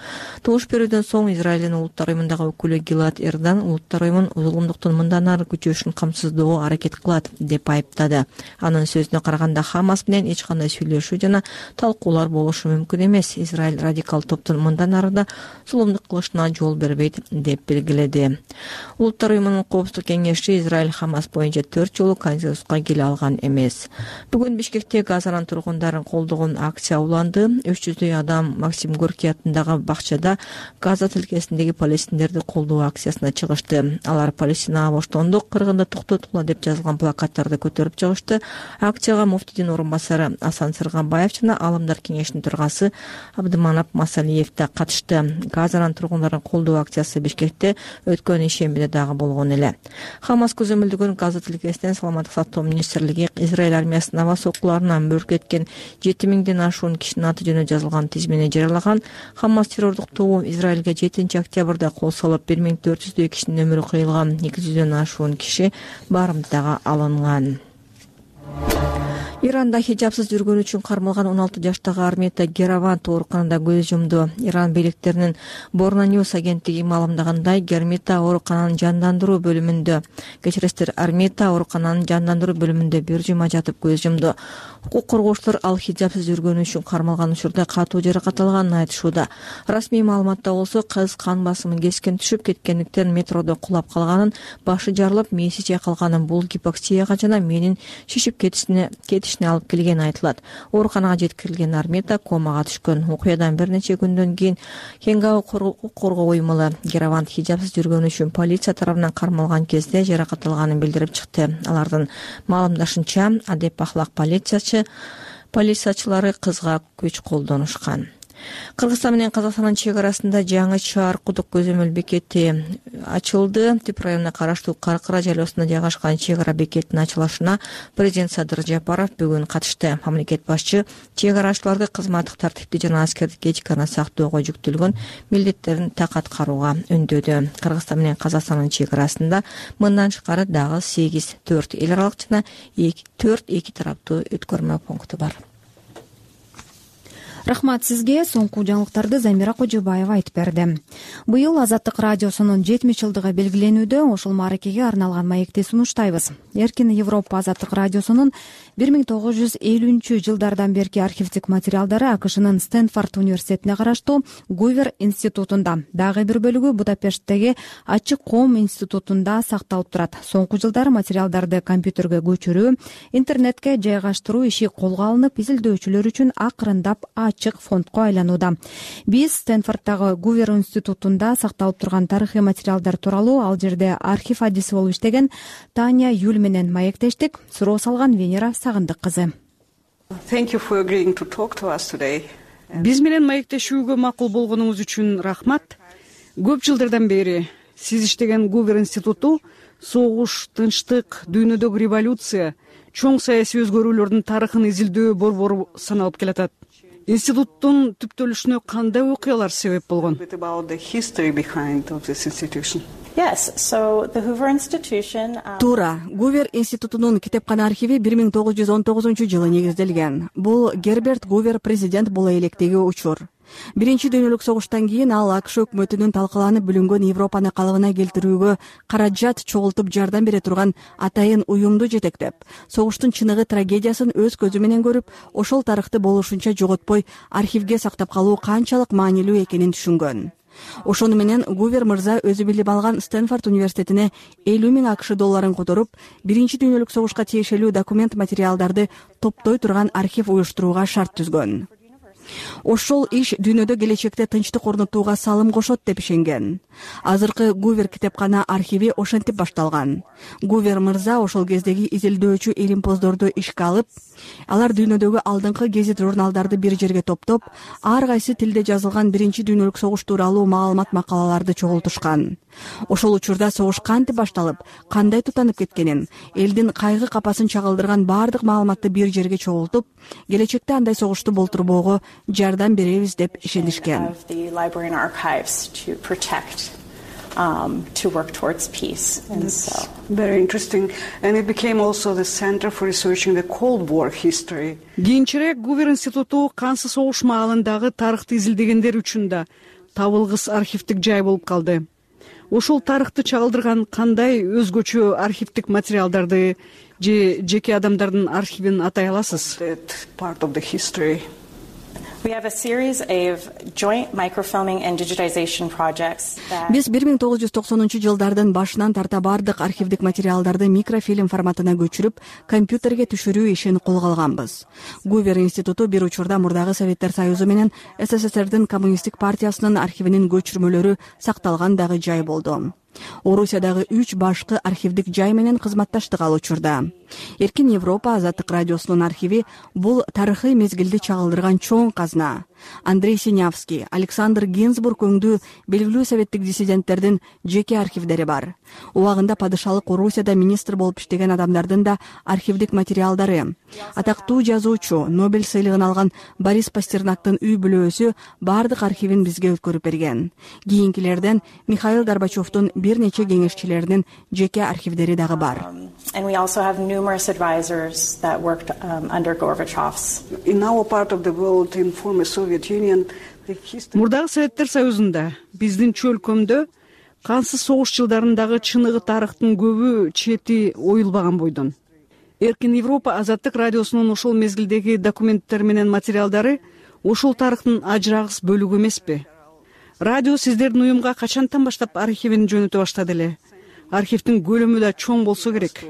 Добуш берүүдөн соң Израилдин Улуттар Уюмундагы өкүлү Гилад Эрдан Улуттар Уюмун зулумдуктун мындан ары күчөшүн камсыздоого аракет кылат деп айыптады. анын сөзүнө караганда Хамас менен эч кандай сүйлөшүү жана талкуулар болушу мүмкүн эмес. Израиль радикал топтун мындан ары да зулумдук кылышына жол бербейт деп белгиледи. Улуттар уюмунун коопсуздук кеңеши Израиль Хамас боюнча төрт жолу консенсуска келе алган эмес. Бүгүн Бишкекте Газанын тургундарын колдогон акция уланды. үч жүздөй адам Максим Горький атындагы бакчада Газа тилкесиндеги палестиндерди колдоо акциясына чыгышты. Алар Палестинага боштондук, кыргынды токтотула деп жазылган плакаттарды көтөрүп чыгышты. Акцияга муфтийдин орун басары Асан Сырганбаев жана Алымдар кеңешинин төрагасы Абдыманап Масалиев да катышты. Газанын тургундарын колдоо акциясы Бишкекте өткөн ишембиде дагы болгон эле. Хамас көзөмөлдөгөн Газа тилкесинен саламаттык сактоо министрлиги Израиль армиясынын аба соккуларынан мөрк кеткен жети миңден ашуун кишинин аты жөнү жазылган тизмени жарыялаган. Хамас террордук тобу Израилге жетинчи октябрда кол салып бир миң төрт жүздөй кишинин өмүрү кыйылган. эки жүздөн ашуун киши барымтага алынган. Иранда хижапсыз жүргөнү үчүн кармалган он алты жаштагы Армета Геравант ооруканада көз жумду. Иран бийликтеринин Борно Ньюс агенттиги маалымдагандай, Гермета оорукананын жандандыруу бөлүмүндө, кечиресиздер, Армета оорукананын жандандыруу бөлүмүндө бир жума жатып көз жумду. Укук коргоочулар ал хижапсыз жүргөнү үчүн кармалган учурда катуу жаракат алганын айтышууда. Расмий маалыматта болсо, кыз кан басымы кескен түшүп кеткендиктен метродо кулап калганын, башы жарылып, мээси чайкалганын, бул гипоксияга жана мээнин шишип кетишине алып келгени айтылат. Ооруканага жеткирилген Армета комага түшкөн. Окуядан бир нече күндөн кийин Хенгао укук коргоо уюму Геравант хижапсыз жүргөнү үчүн полиция тарабынан кармалган кезде жаракат алганын билдирип чыкты. Алардын маалымдашынча, Адеп Ахлак полициячы полициячылары кызга күч колдонушкан. Кыргызстан менен Казакстандын чек арасында жаңы Чаар кудук көзөмөл бекети ачылды. Тип районуна караштуу Каркыра жайлоосунда жайгашкан чек ара бекетинин ачылышына президент Садыр Жапаров бүгүн катышты. Мамлекет башчы чек арачыларды кызматтык тартипти жана аскердик этиканы сактоого жүктөлгөн милдеттерин так аткарууга үндөдү. Кыргызстан менен Казакстандын чек арасында мындан тышкары дагы сегиз төрт эл аралык жана төрт эки тараптуу өткөрмө пункту бар. Рахмат сизге. Соңку жаңылыктарды Замира Кожобаева айтып берди. Быйыл Азаттык радиосунун жетимиш жылдыгы белгиленүүдө. Ошол мааракеге арналган маекти сунуштайбыз. Эркин Европа Азаттык радиосунун бир миң тогуз жүз элүүнчү жылдардан берки архивдик материалдары АКШнын Стэнфорд университетине караштуу Гувер институтунда, дагы бир бөлүгү Будапешттеги Ачык коом институтунда сакталып турат. Соңку жылдары материалдарды компьютерге көчүрүү, интернетке жайгаштыруу иши колго алынып, изилдөөчүлөр үчүн акырындап ачык фондко айланууда. Биз Стэнфорддагы Гувер институтунда сакталып турган тарыхый материалдар тууралуу ал жерде архив адиси болуп иштеген Таня Юль менен маектештик. Суроо салган Венера Сагындык кызы. Биз менен маектешүүгө макул болгонуңуз үчүн рахмат. Көп жылдардан бери сиз иштеген Гувер институту согуш, тынчтык, дүйнөдөгү революция, чоң саясий өзгөрүүлөрдүн тарыхын изилдөө борбору саналып келатат. Институттун түптөлүшүнө кандай окуялар себеп болгон? Туура, Гувер институтунун китепкана архиви бир миң тогуз жүз он тогузунчу жылы негизделген. Бул Герберт Гувер президент боло электеги учур. Биринчи дүйнөлүк согуштан кийин ал АКШ өкмөтүнүн талкаланып бүлүнгөн Европаны калыбына келтирүүгө каражат чогултуп жардам бере турган атайын уюмду жетектеп, согуштун чыныгы трагедиясын өз көзү менен көрүп, ошол тарыхты болушунча жоготпой архивге сактап калуу канчалык маанилүү экенин түшүнгөн. Ошону менен Гувер мырза өзү билип алган Стэнфорд университетине элүү миң АКШ долларын которуп, биринчи дүйнөлүк согушка тиешелүү документ материалдарды топтой турган архив уюштурууга шарт түзгөн. Ошол иш дүйнөдө келечекте тынчтык орнотууга салым кошот деп ишенген. Азыркы Гувер китепкана архиви ошентип башталган. Гувер мырза ошол кездеги изилдөөчү илимпоздорду ишке алып, алар дүйнөдөгү алдыңкы гезит журналдарды бир жерге топтоп, ар кайсы тилде жазылган биринчи дүйнөлүк согуш тууралуу маалымат макалаларды чогултушкан. Ошол учурда согуш кантип башталып, кандай тутанып кеткенин, элдин кайгы капасын чагылдырган баардык маалыматты бир жерге чогултуп, келечекте андай согушту болтурбоого жардам беребиз деп ишенишкен. Um, to work towards peace. And That's so very interesting. And it became also the center for researching the Cold War history. Кийинчерээк Гувер институту кансыз согуш маалындагы тарыхты изилдегендер үчүн да табылгыс архивдик жай болуп калды. ошол тарыхты чагылдырган кандай өзгөчө архивдик материалдарды же жеке адамдардын архивин атай аласыз? Биз бир миң тогуз жүз токсонунчу жылдардын башынан тарта бардык архивдик материалдарды микрофильм форматына көчүрүп, компьютерге түшүрүү ишин колго алганбыз. Гувер институту бир учурда мурдагы Советтер Союзу менен СССРдин коммунисттик партиясынын архивинин көчүрмөлөрү сакталган дагы жай болду. Орусиядагы үч башкы архивдик жай менен кызматташтык ал учурда. Эркин Европа Азаттык радиосунун архиви бул тарыхый мезгилди чагылдырган чоң казна. Андрей Синявский, Александр Гинзбург өңдүү белгилүү советтик диссиденттердин жеке архивдери бар. Убагында падышалык Орусияда министр болуп иштеген адамдардын да архивдик материалдары. Атактуу жазуучу, Нобель сыйлыгын алган Борис Пастернактын үй бүлөөсү бардык архивин бизге өткөрүп берген. Кийинкилерден Михаил Горбачевдун бир нече кеңешчилеринин жеке архивдери дагы бар. And we also have numerous advisors that worked um, under Gorbachev's. In our part of the world, in former Soviet Union, the history... Мурдагы Советтер Союзунда, биздин чөлкөмдө кансыз согуш жылдарындагы чыныгы тарыхтын көбү чети оюлбаган бойдон. Эркин Европа Азаттык радиосунун ошол мезгилдеги документтер менен материалдары ошол тарыхтын ажырагыс бөлүгү эмеспи? Радио сиздердин уюмга качантан баштап архивин жөнөтө баштады эле? Архивдин көлөмү да чоң болсо керек.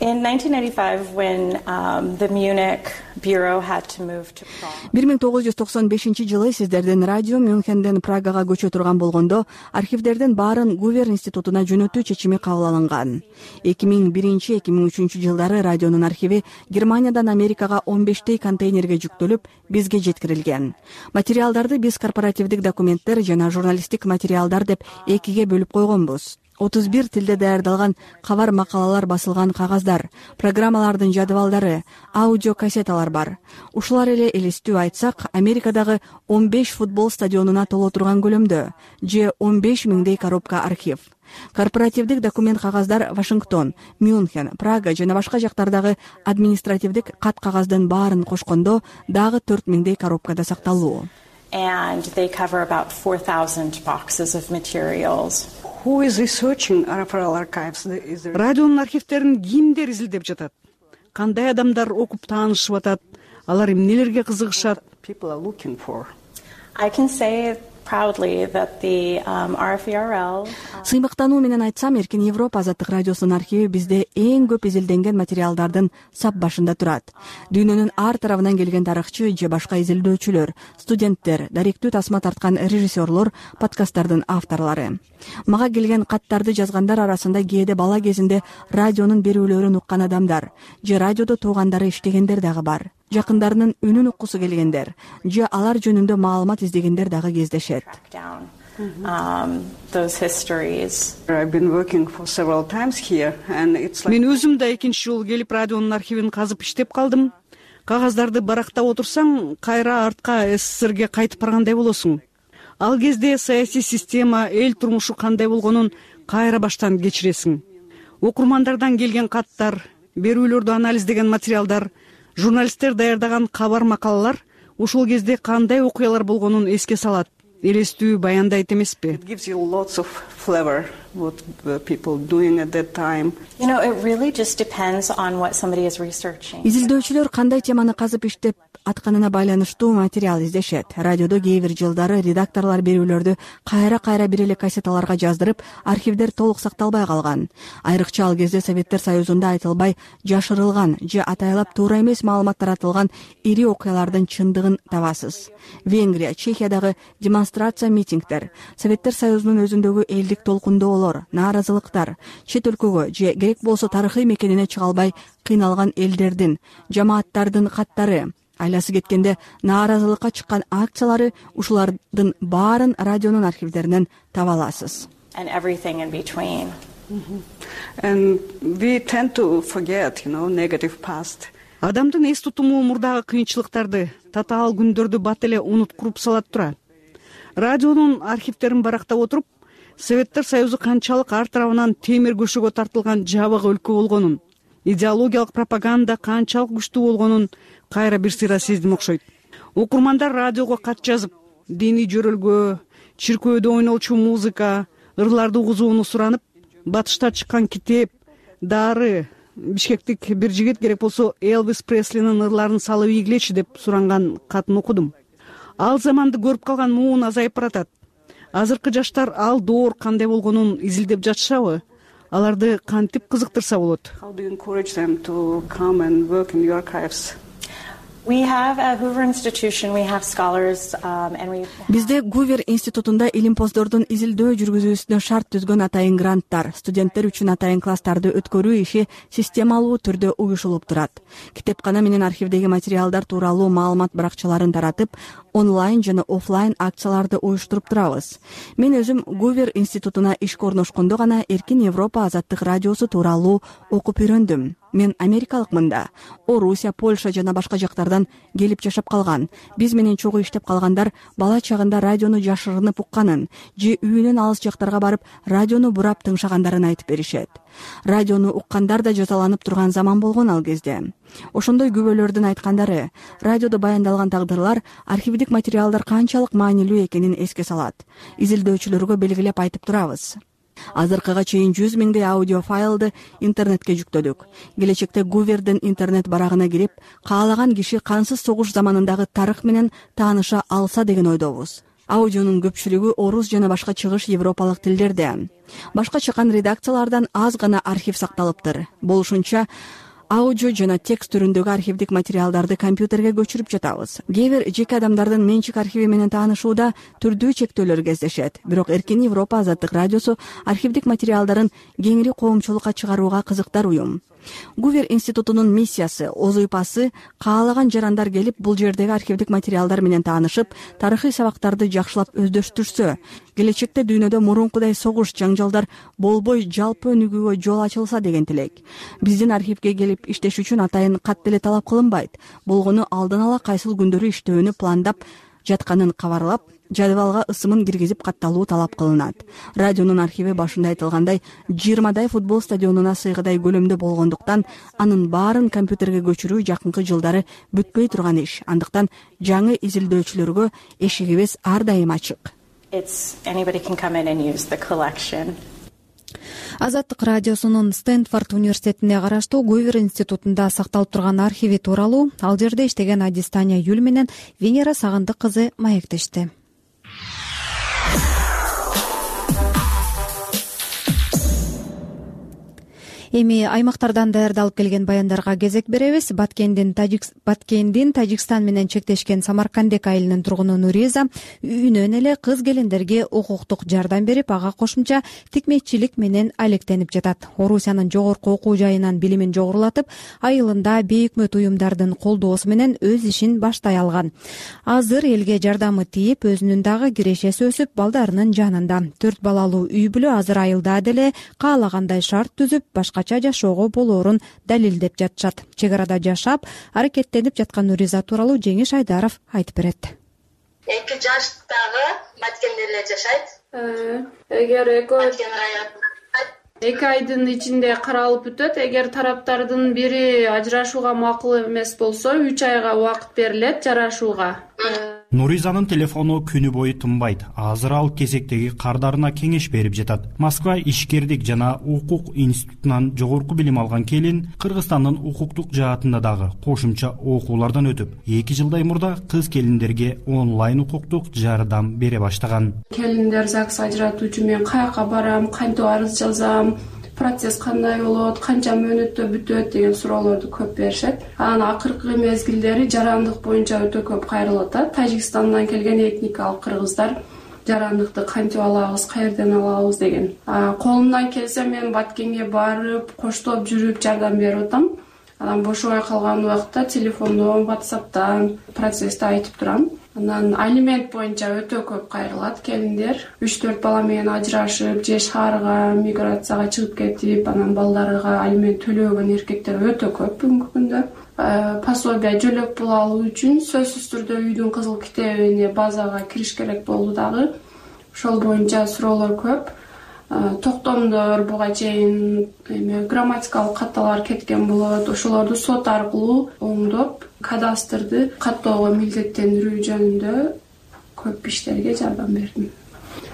In nineteen ninety-five, when um, the Munich bureau had to move to Prague. бир миң тогуз жүз токсон бешинчи жылы сиздердин радио Мюнхенден Прагага көчө турган болгондо архивдердин баарын Гувер институтуна жөнөтүү чечими кабыл алынган. эки миң биринчи эки миң үчүнчү жылдары радионун архиви Германиядан Америкага он бештей контейнерге жүктөлүп, бизге жеткирилген. Материалдарды биз корпоративдик документтер жана журналисттик материалдар деп экиге бөлүп койгонбуз. отуз бир тилде даярдалган кабар макалалар басылган кагаздар, программалардын жадыбалдары, аудио кассеталар бар. Ушулар эле элестүү айтсак, Америкадагы он беш футбол стадионуна толо турган көлөмдө, же он беш миңдей коробка архив. Корпоративдик документ кагаздар Вашингтон, Мюнхен, Прага жана башка жактардагы административдик кат кагаздын баарын кошкондо дагы төрт миңдей коробкада сакталуу. And they cover about four thousand boxes of materials. Who is researching R F R L archives? Радионун архивтерин кимдер изилдеп жатат? Кандай адамдар окуп таанышып атат? Алар эмнелерге кызыгышат? People are looking for. I can say proudly that the um, R F E R L. Сыймыктануу менен айтсам, Эркин Европа Азаттык радиосунун архиви бизде эң көп изилденген материалдардын сап башында турат. Дүйнөнүн ар тарабынан келген тарыхчы же башка изилдөөчүлөр, студенттер, даректүү тасма тарткан режиссерлор, подкасттардын авторлору. Мага келген каттарды жазгандар арасында кээде бала кезинде радионун берүүлөрүн уккан адамдар, же радиодо туугандары иштегендер дагы бар. Жакындарынын үнүн уккусу келгендер, же алар жөнүндө маалымат издегендер дагы кездешет. Um, those histories. I've been working for several times here, and it's like. Мен өзүм да экинчи жолу келип радионун архивин казып иштеп калдым. Кагаздарды барактап отурсаң, кайра артка СССРге кайтып баргандай болосуң. Ал кезде саясий система, эл турмушу кандай болгонун кайра баштан кечиресиң. Окурмандардан келген каттар, берүүлөрдү анализдеген материалдар, журналисттер даярдаган кабар макалалар ошол кезде кандай окуялар болгонун эске салат, элестүү баяндайт эмеспи? It gives you lots of flavor what the people doing at that time. You know, it really just depends on what somebody is researching. Изилдөөчүлөр кандай теманы казып иштеп атканына байланыштуу материал издешет. Радиодо кээ бир жылдары редакторлор берүүлөрдү кайра-кайра бир эле кассеталарга жаздырып, архивдер толук сакталбай калган. Айрыкча ал кезде Советтер Союзунда айтылбай, жашырылган же атайлап туура эмес маалымат таратылган ири окуялардын чындыгын табасыз. Венгрия, Чехиядагы демонстрация митингдер, Советтер Союзунун өзүндөгү элдик толкундоолор, нааразылыктар, чет өлкөгө же керек болсо тарыхый мекенине чыга албай кыйналган элдердин, жамааттардын каттары, айласы кеткенде нааразылыкка чыккан акциялары, ушулардын баарын радионун архивдеринен таба аласыз. And everything in between. Mm-hmm. And we tend to forget, you know, negative past. Адамдын эс тутуму мурдагы кыйынчылыктарды, татаал күндөрдү бат эле унуткуруп салат тура. Радионун архивтерин барактап отуруп, Советтер Союзу канчалык ар тарабынан темир көшөгө тартылган жабык өлкө болгонун, идеологиялык пропаганда канчалык күчтүү болгонун кайра бир сыйра сездим окшойт. Окурмандар радиого кат жазып, диний жөрөлгө, чиркөөдө ойнолчу музыка, ырларды угузууну суранып, батышта чыккан китеп, дары, бишкектик бир жигит керек болсо Элвис Преслинин ырларын салып ийгилечи деп суранган катын окудум. Ал заманды көрүп калган муун азайып баратат. Азыркы жаштар ал доор кандай болгонун изилдеп жатышабы? Аларды кантип кызыктырса болот? How do you encourage them to come and work in your archives? We have at Hoover Institution, we have scholars um, and we Бизде Гувер институтунда илимпоздордун изилдөө жүргүзүүсүнө шарт түзгөн атайын гранттар, студенттер үчүн атайын класстарды өткөрүү иши системалуу түрдө уюшулуп турат. Китепкана менен архивдеги материалдар тууралуу маалымат баракчаларын таратып, онлайн жана офлайн акцияларды уюштуруп турабыз. Мен өзүм Гувер институтуна ишке орношкондо гана Эркин Европа азаттык радиосу тууралуу окуп үйрөндүм. Мен америкалыкмын да. Орусия, Польша жана башка жактардан келип жашап калган. Биз менен чогуу иштеп калгандар бала чагында радиону жашырынып укканын, же үйүнөн алыс жактарга барып радиону бурап тыңшагандарын айтып беришет. Радиону уккандар да жазаланып турган заман болгон ал кезде. Ошондой күбөлөрдүн айткандары, радиодо баяндалган тагдырлар, архивдик материалдар канчалык маанилүү экенин эске салат. Изилдөөчүлөргө белгилеп айтып турабыз. Азыркыга чейин жүз миңдей аудио файлды интернетке жүктөдүк. Келечекте Гувердин интернет барагына кирип, каалаган киши кансыз согуш заманындагы тарых менен тааныша алса деген ойдобуз. Аудионун көпчүлүгү орус жана башка чыгыш европалык тилдерде. Башка чыккан редакциялардан аз гана архив сакталыптыр. Болушунча аудио жана текст түрүндөгү архивдик материалдарды компьютерге көчүрүп жатабыз. Кээ бир жеке адамдардын менчик архиви менен таанышууда түрдүү чектөөлөр кездешет. Бирок Эркин Европа азаттык радиосу архивдик материалдарын кеңири коомчулукка чыгарууга кызыктар уюм. Гувер институтунун миссиясы, озуйпасы каалаган жарандар келип бул жердеги архивдик материалдар менен таанышып, тарыхый сабактарды жакшылап өздөштүрсө, келечекте дүйнөдө мурункудай согуш жаңжалдар болбой жалпы өнүгүүгө жол ачылса деген тилек. Биздин архивге келип иштеш үчүн атайын кат деле талап кылынбайт. Болгону алдан ала кайсыл күндөрү иштөөнү пландап жатканын кабарлап, жадыбалга ысымын киргизип катталуу талап кылынат. Радионун архиви башында айтылгандай жыйырмадай футбол стадионуна сыйгыдай көлөмдө болгондуктан, анын баарын компьютерге көчүрүү жакынкы жылдары бүтпөй турган иш. Андыктан жаңы изилдөөчүлөргө эшигибиз ар дайым ачык. it's anybody can come in and use the collection. Азаттык радиосунун Стэнфорд университетине караштуу Гувер институтунда сакталып турган архиви тууралуу ал жерде иштеген Адистания Юл менен Венера Сагындык кызы маектешти. Эми аймактардан даярдалып келген баяндарга кезек беребиз. Баткендин Тажик Баткендин Тажикстан менен чектешкен Самаркандек айылынын тургуну Нуриза үйүнөн эле кыз келиндерге укуктук жардам берип, ага кошумча тикмечилик менен алектенип жатат. Орусиянын жогорку окуу жайынан билимин жогорулатып, айылында бейөкмөт уюмдардын колдоосу менен өз ишин баштай алган. Азыр элге жардамы тийип, өзүнүн дагы кирешеси өсүп, балдарынын жанында. Төрт балалуу үй бүлө азыр айылда деле каалагандай шарт түзүп, башка жашоого болоорун далилдеп жатышат. Чек арада жашап, аракеттенип жаткан Нуриза тууралуу Жеңиш Айдаров айтып берет. эки жаштагы Баткенде эле жашайт. Эгер эки айдын ичинде каралып өтөт, эгер тараптардын бири ажырашууга макул эмес болсо, үч айга убакыт берилет жарашууга. Нуризанын телефону күнү бою тынбайт. Азыр ал кезектеги кардарына кеңеш берип жатат. Москва ишкердик жана укук институтунан жогорку билим алган келин Кыргызстандын укуктук жаатында дагы кошумча окуулардан өтүп, эки жылдай мурда кыз келиндерге онлайн укуктук жардам бере баштаган. Келиндер ЗАГС ажыратуу үчүн мен каяка барам, кантип арыз жазам, процесс кандай болот, канча мөөнөттө бүтөт деген суроолорду көп беришет. Анан акыркы мезгилдери жарандык боюнча өтө көп кайрылып атат. Тажикстандан келген этникалык кыргыздар жарандыкты кантип алабыз, каерден алабыз деген. Колумдан келсе мен Баткенге барып, коштоп жүрүп жардам берип атам. Анан бошобой калган убакта телефондон, WhatsApp'тан процессти айтып турам. Анан алимент боюнча өтө көп кайрылат келиндер. үч төрт бала менен ажырашып, же шаарга, миграцияга чыгып кетип, анан балдарга алимент төлөбөгөн эркектер өтө көп бүгүнкү күндө. Пособие жөлөк пул алуу үчүн сөзсүз түрдө үйдүн кызыл китебине базага кириш керек болду дагы. Ошол боюнча суроолор көп. Токтомдор буга чейин эме грамматикалык катталар кеткен болот. Ошолорду сот аркылуу оңдоп, кадастрды каттоого милдеттендирүү жөнүндө көп иштерге жардам бердим.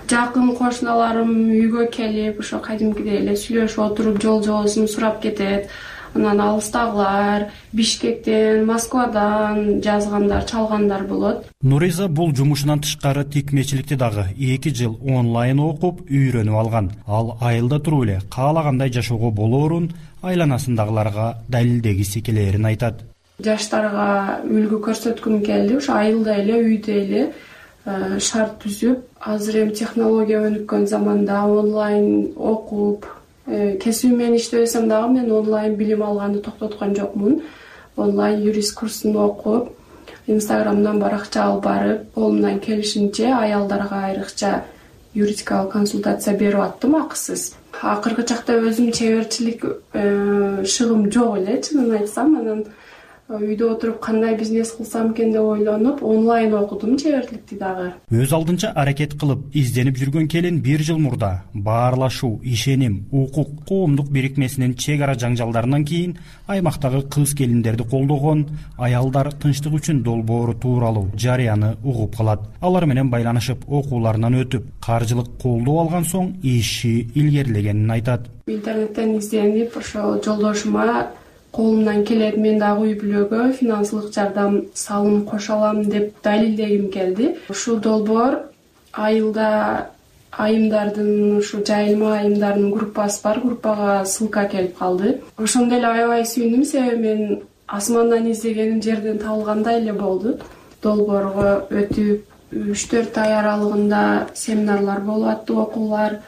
Жакын кошуналарым үйгө келип ошо кадимкидей эле сүйлөшүп отуруп жол жоосун сурап кетет. Анан алыстагылар Бишкектен, Москвадан жазгандар, чалгандар болот. Нуриза бул жумушунан тышкары тикмечиликти дагы эки жыл онлайн окуп үйрөнүп алган. Ал айылда туруп эле каалагандай жашоого болоорун айланасындагыларга далилдегиси келээрин айтат. Жаштарга үлгү көрсөткүм келди. Ошо айылда эле, үйдө эле шарт түзүп, азыр эми технология өнүккөн заманда онлайн окуп, кесиби менен иштебесем дагы мен онлайн билим алганды токтоткон жокмун. Онлайн юрист курсун окуп, Инстаграмдан баракча алып барып, колумдан келишинче аялдарга айрыкча юридикалык консультация берип аттым акысыз. Акыркы чакта өзүм чеберчилик шыгым жок эле, чынын айтсам. Анан үйдө отуруп кандай бизнес кылсам экен деп ойлонуп, онлайн окудум чеберчиликти дагы. Өз алдынча аракет кылып, изденип жүргөн келин бир жыл мурда баарлашуу, ишеним, укук коомдук бирикмесинин чек ара жаңжалдарынан кийин аймактагы кыз келиндерди колдогон аялдар тынчтык үчүн долбоору тууралуу жарыяны угуп калат. Алар менен байланышып, окууларынан өтүп, каржылык колдоо алган соң иши илгерилегенин айтат. Интернеттен изденип, ошо жолдошума колумдан келет, мен дагы үй бүлөгө финансылык жардам салым кошо алам деп далилдегим келди. Ушул долбоор айылда айымдардын, ушу жайылма айымдардын группасы бар, группага ссылка келип калды. Ошондо эле аябай сүйүндүм, себеби мен асмандан издегеним жерден табылгандай эле болду. Долбоорго өтүп, үч төрт ай аралыгында семинарлар болуп атты, окуулар.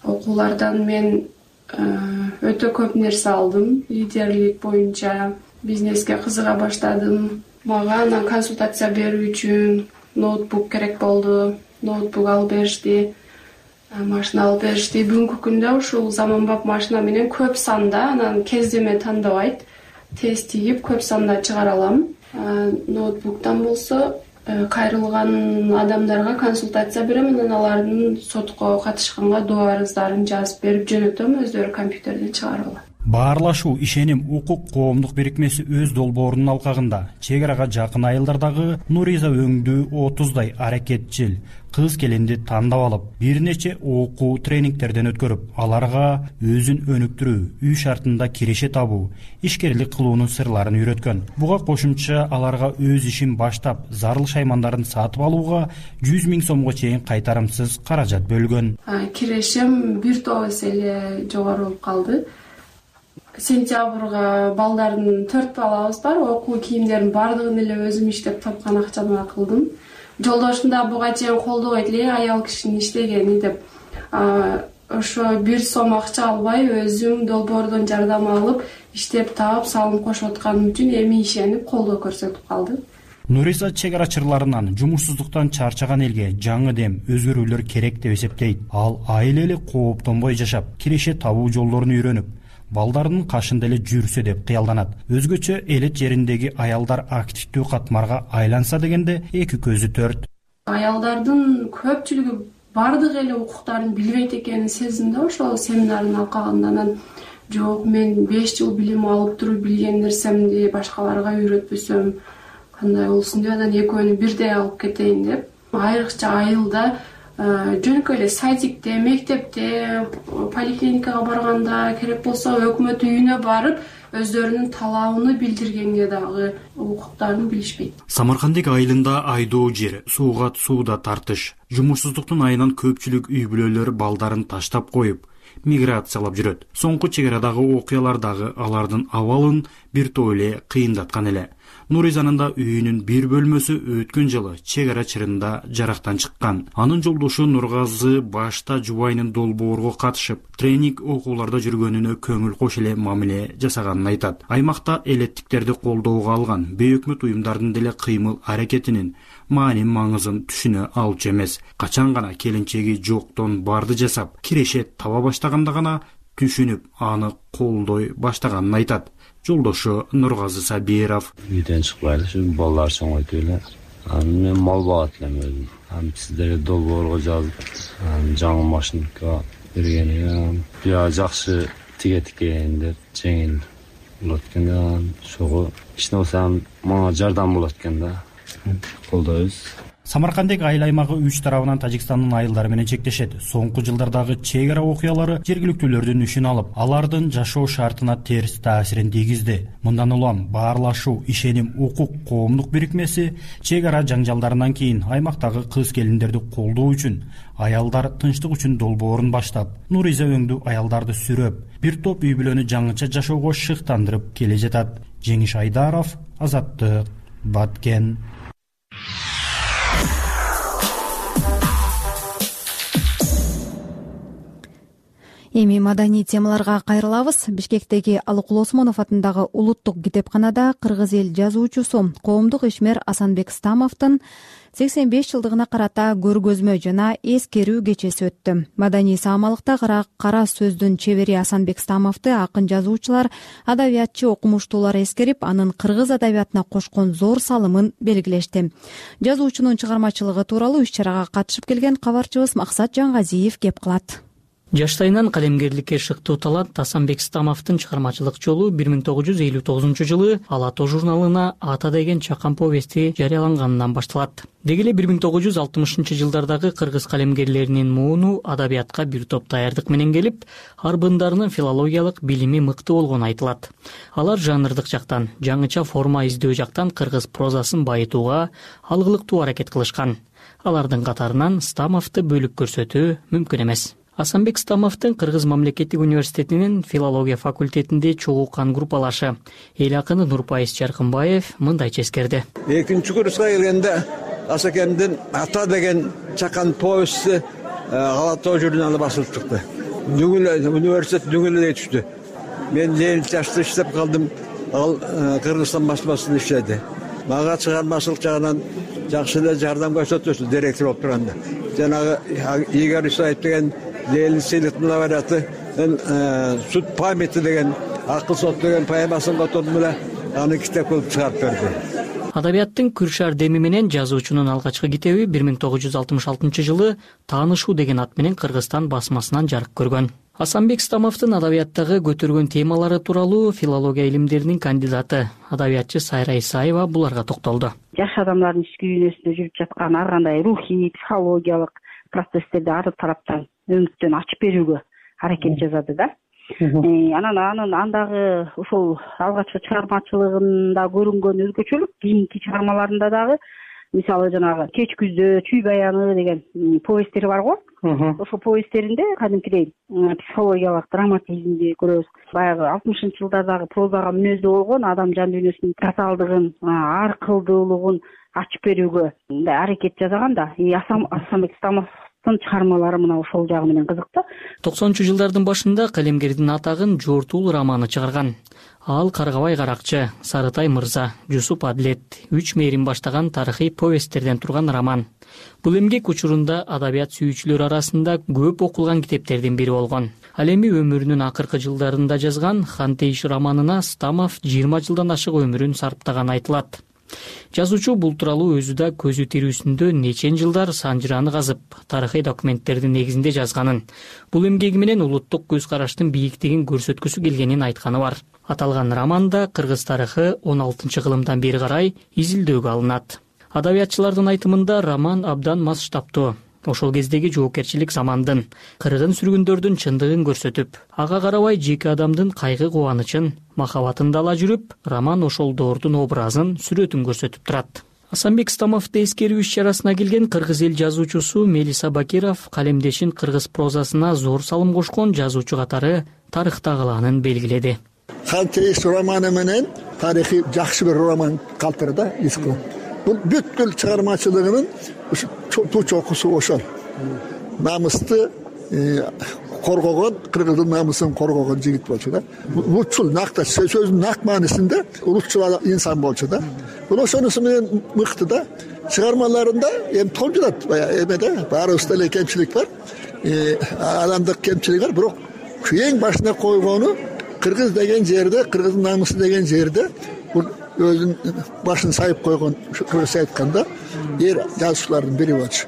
Окуулардан мен өтө көп нерсе алдым. Лидерлик боюнча бизнеске кызыга баштадым. Мага анан консультация берүү үчүн ноутбук керек болду. Ноутбук алып беришти, машина алып беришти. Бүгүнкү күндө ушул заманбап машина менен көп санда, анан кездеме тандабайт, тез тийип көп санда чыгара алам. Ноутбуктан болсо кайрылган адамдарга консультация берем, анан алардын сотко катышканга доо арыздарын жазып берип жөнөтөм, өздөрү компьютерден чыгарып алат. Баарлашуу, ишеним, укук коомдук бирикмеси өз долбоорунун алкагында чек арага жакын айылдардагы Нуриза өңдүү отуздай аракетчил кыз келинди тандап алып, бир нече окуу тренингтерден өткөрүп, аларга өзүн өнүктүрүү, үй шартында киреше табуу, ишкерлик кылуунун сырларын үйрөткөн. Буга кошумча аларга өз ишин баштап, зарыл шаймандарын сатып алууга жүз миң сомго чейин кайтарымсыз каражат бөлгөн. Кирешим бир топ эсе эле жогору болуп калды. Сентябрга балдардын төрт балабыз бар, окуу кийимдердин бардыгын эле өзүм иштеп тапкан акчамдан кылдым. Жолдошум да буга чейин колдобойт эле, аял кишинин иштегени деп. Ошо бир сом акча албай, өзүм долбоордон жардам алып, иштеп таап, салым кошуп атканым үчүн эми ишенип колдоо көрсөтүп калды. Нуриза чек ара чырларынан, жумушсуздуктан чарчаган элге жаңы дем, өзгөрүүлөр керек деп эсептейт. Ал айыл эли кооптонбой жашап, киреше табуу жолдорун үйрөнүп, балдардын кашында эле жүрсө деп кыялданат. Өзгөчө элет жериндеги аялдар активдүү катмарга айланса дегенде эки көзү төрт. Аялдардын көпчүлүгү бардык эле укуктарын билбейт экенин сездим да ошол семинардын алкагында. Анан жок, мен беш жыл билим алып туруп билген нерсемди башкаларга үйрөтпөсөм кандай болсун деп, анан экөөнү бирдей алып кетейин деп, айрыкча айылда жөнөкөй эле садикте, мектепте, поликлиникага барганда, керек болсо өкмөт үйүнө барып, өздөрүнүн талабын билдиргенге дагы укуктарын билишпейт. Самаркандык айылында айдоо жер, сууга сууда тартыш, жумушсуздуктун айынан көпчүлүк үй бүлөлөр балдарын таштап коюп, миграциялап жүрөт. Соңку чек арадагы окуялар дагы алардын абалын бир топ эле кыйындаткан эле. Нуризанын да үйүнүн бир бөлмөсү өткөн жылы чек ара чырында жарактан чыккан. Анын жолдошу Нургазы башта жубайынын долбоорго катышып, тренинг окууларда жүргөнүнө көңүл кош эле мамиле жасаганын айтат. Аймакта элеттиктерди колдоого алган бейөкмөт уюмдардын деле кыймыл аракетинин маани маңызын түшүнө алчу эмес. Качан гана келинчеги жоктон барды жасап, киреше таба баштаганда гана түшүнүп, аны колдой баштаганын айтат. Жолдошу Нургазы Сабиров. Үйдөн чыкпайлы, ушу балдар чоңойтуп эле. Анан мен мал багат элем өзүм. Анан сиздерге долбоорго жазып, жаңы машинка бергени, бия жакшы тигет экен деп, жеңил болот экен да, ошого кичине болсо мага жардам болот экен да. Колдойбуз. Самаркандек айыл аймагы үч тарабынан Тажикстандын айылдары менен чектешет. Соңку жылдардагы чек ара окуялары жергиликтүүлөрдүн ишин алып, алардын жашоо шартына терс таасирин тийгизди. Мындан улам Баарлашуу, ишеним, укук коомдук бирикмеси чек ара жаңжалдарынан кийин аймактагы кыз келиндерди колдоо үчүн, аялдар тынчтык үчүн долбоорун баштап, Нуриза өңдүү аялдарды сүрөп, бир топ үй бүлөнү жаңыча жашоого шыктандырып келе жатат. Жеңиш Айдаров, Азаттык, Баткен. Эми маданий темаларга кайрылабыз. Бишкектеги Алыкул Осмонов атындагы улуттук китепканада кыргыз эл жазуучусу, коомдук ишмер Асанбек Стамовдун сексен беш жылдыгына карата көргөзмө жана эскерүү кечеси өттү. Маданий саамалыкта кара сөздүн чебери Асанбек Стамовду акын жазуучулар, адабиятчы, окумуштуулар эскерип, анын кыргыз адабиятына кошкон зор салымын белгилешти. Жазуучунун чыгармачылыгы тууралуу иш-чарага катышып келген кабарчыбыз Максат Жангазиев кеп кылат. Жаштайынан калемгерликке шыктуу талант Асанбек Стамовдун чыгармачылык жолу бир миң тогуз жүз элүү тогузунчу жылы Ала тоо журналына Ата деген чакан повести жарыяланганынан башталат. Деги эле бир миң тогуз жүз алтымышынчы жылдардагы кыргыз калемгерлеринин мууну адабиятка бир топ даярдык менен келип, арбындарынын филологиялык билими мыкты болгону айтылат. Алар жанрдык жактан, жаңыча форма издөө жактан кыргыз прозасын байытууга алгылыктуу аракет кылышкан. Алардын катарынан Стамовду бөлүп көрсөтүү мүмкүн эмес. Асанбек Стамовдун Кыргыз мамлекеттик университетинин филология факультетинде чогулган группалашы эл акыны Нурпайыз Чаркынбаев мындайча эскерди. Экинчи курска келгенде Асакендин Ата деген чакан повести Ала тоо журналы басылып чыкты. Университет дүңүлө түштү. Мен элүү жашта иштеп калдым. Ал Кыргызстан басмасында иштеди. Мага чыгармачылык жагынан жакшы эле жардам көрсөттү, директор болуп турганда. Жанагы Игорь Исаев деген Ленин сыйлыктын лауреаты, Суд памяти деген, Акыл сот деген поэмасын котордум эле, аны китеп кылып чыгарып берди. Адабияттын күршар деми менен жазуучунун алгачкы китеби бир миң тогуз жүз алтымыш алтынчы жылы Таанышуу деген ат менен Кыргызстан басмасынан жарык көргөн. Асанбек Стамовдун адабияттагы көтөргөн темалары тууралуу филология илимдеринин кандидаты, адабиятчы Сайра Исаева буларга токтолду. Жаш адамдардын ички дүйнөсүндө жүрүп жаткан ар кандай рухий, психологиялык процесстерди ар тараптан өңүттөн ачып берүүгө аракет жасады да. Анан анын андагы ошол алгачкы чыгармачылыгында көрүнгөн өзгөчөлүк кийинки чыгармаларында дагы, мисалы жанагы Кеч күздө, Чүй баяны деген повесттери бар го. Ошол повесттеринде кадимкидей психологиялык драматизмди көрөбүз. Баягы алтымышынчы жылдардагы прозага мүнөздүү болгон адам жан дүйнөсүнүн татаалдыгын, ар кылдуулугун ачып берүүгө аракет жасаган да. Асанбек Стамовдун чыгармалары мына ошол жагы менен кызыктуу. токсонунчу жылдардын башында калемгердин атагын Жортул романы чыгарган. Ал Каргабай Каракчы, Сарытай мырза, Жусуп Адлет, Үч мээрин баштаган тарыхый повесттерден турган роман. Бул эмгек учурунда адабият сүйүүчүлөр арасында көп окулган китептердин бири болгон. Ал эми өмүрүнүн акыркы жылдарында жазган Хантейш романына Стамов жыйырма жылдан ашык өмүрүн сарптаганы айтылат. Жазуучу бул тууралуу өзү да көзү тирүүсүндө нечен жылдар санжыраны казып, тарыхый документтердин негизинде жазганын, бул эмгеги менен улуттук көз караштын бийиктигин көрсөткүсү келгенин айтканы бар. Аталган романда кыргыз тарыхы он алтынчы кылымдан бери карай изилдөөгө алынат. Адабиятчылардын айтымында роман абдан масштабтуу. Ошол кездеги жоопкерчилик замандын, кыргын сүргүндөрдүн чындыгын көрсөтүп, ага карабай жеке адамдын кайгы кубанычын, махабатын да ала жүрүп, роман ошол доордун образын, сүрөтүн көрсөтүп турат. Асанбек Стамовду эскерүү иш-чарасына келген кыргыз эл жазуучусу Мелиса Бакиров калемдешин кыргыз прозасына зор салым кошкон жазуучу катары тарыхтагыланын белгиледи. Хантейш романы менен тарихи жакшы бир роман калтырды да, иску. Бул бүткүл чыгармачылыгынын туу чокусу ошол. Намысты коргогон, кыргыздын намысын коргогон жигит болчу да. Улутчул накта сөздүн нак маанисинде улутчул инсан болчу да. Бул ошонусу менен мыкты да. Чыгармаларында эми толжурат, эмеде баарыбызда эле кемчилик бар. Адамдык кемчилик бар, бирок эң башына койгону кыргыз деген жерде, кыргыздын намысы деген жерде бул өзүнүн башын сайып койгон, кыргызча айтканда, эр жазуучулардын бири болчу.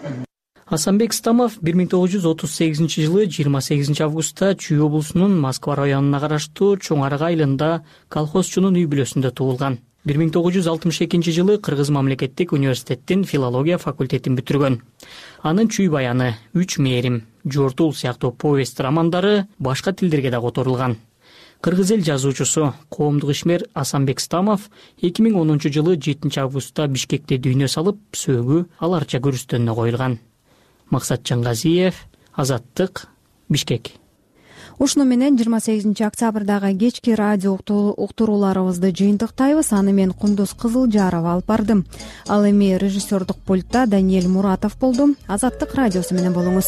Асанбек Стамов бир миң тогуз жүз отуз сегизинчи жылы жыйырма сегизинчи августта Чүй облусунун Москва районуна караштуу Чоң Арга айылында колхозчунун үй бүлөсүндө туулган. бир миң тогуз жүз алтымыш экинчи жылы Кыргыз мамлекеттик университеттин филология факультетин бүтүргөн. Анын Чүй баяны, Үч мээрим, Жортул сыяктуу повесть романдары башка тилдерге да которулган. Кыргыз эл жазуучусу, коомдук ишмер Асанбек Стамов эки миң онунчу жылы жетинчи августта Бишкекте дүйнө салып, сөөгү ал арча көрүстөнүнө коюлган. Максатжан Газиев, Азаттык, Бишкек. Ушуну менен жыйырма сегизинчи октябрдагы кечки радио уктурууларыбызды жыйынтыктайбыз. Аны мен Кундуз Кызылжарова алып бардым. Ал эми режиссердук пультта Даниэль Муратов болду. Азаттык радиосу менен болуңуз.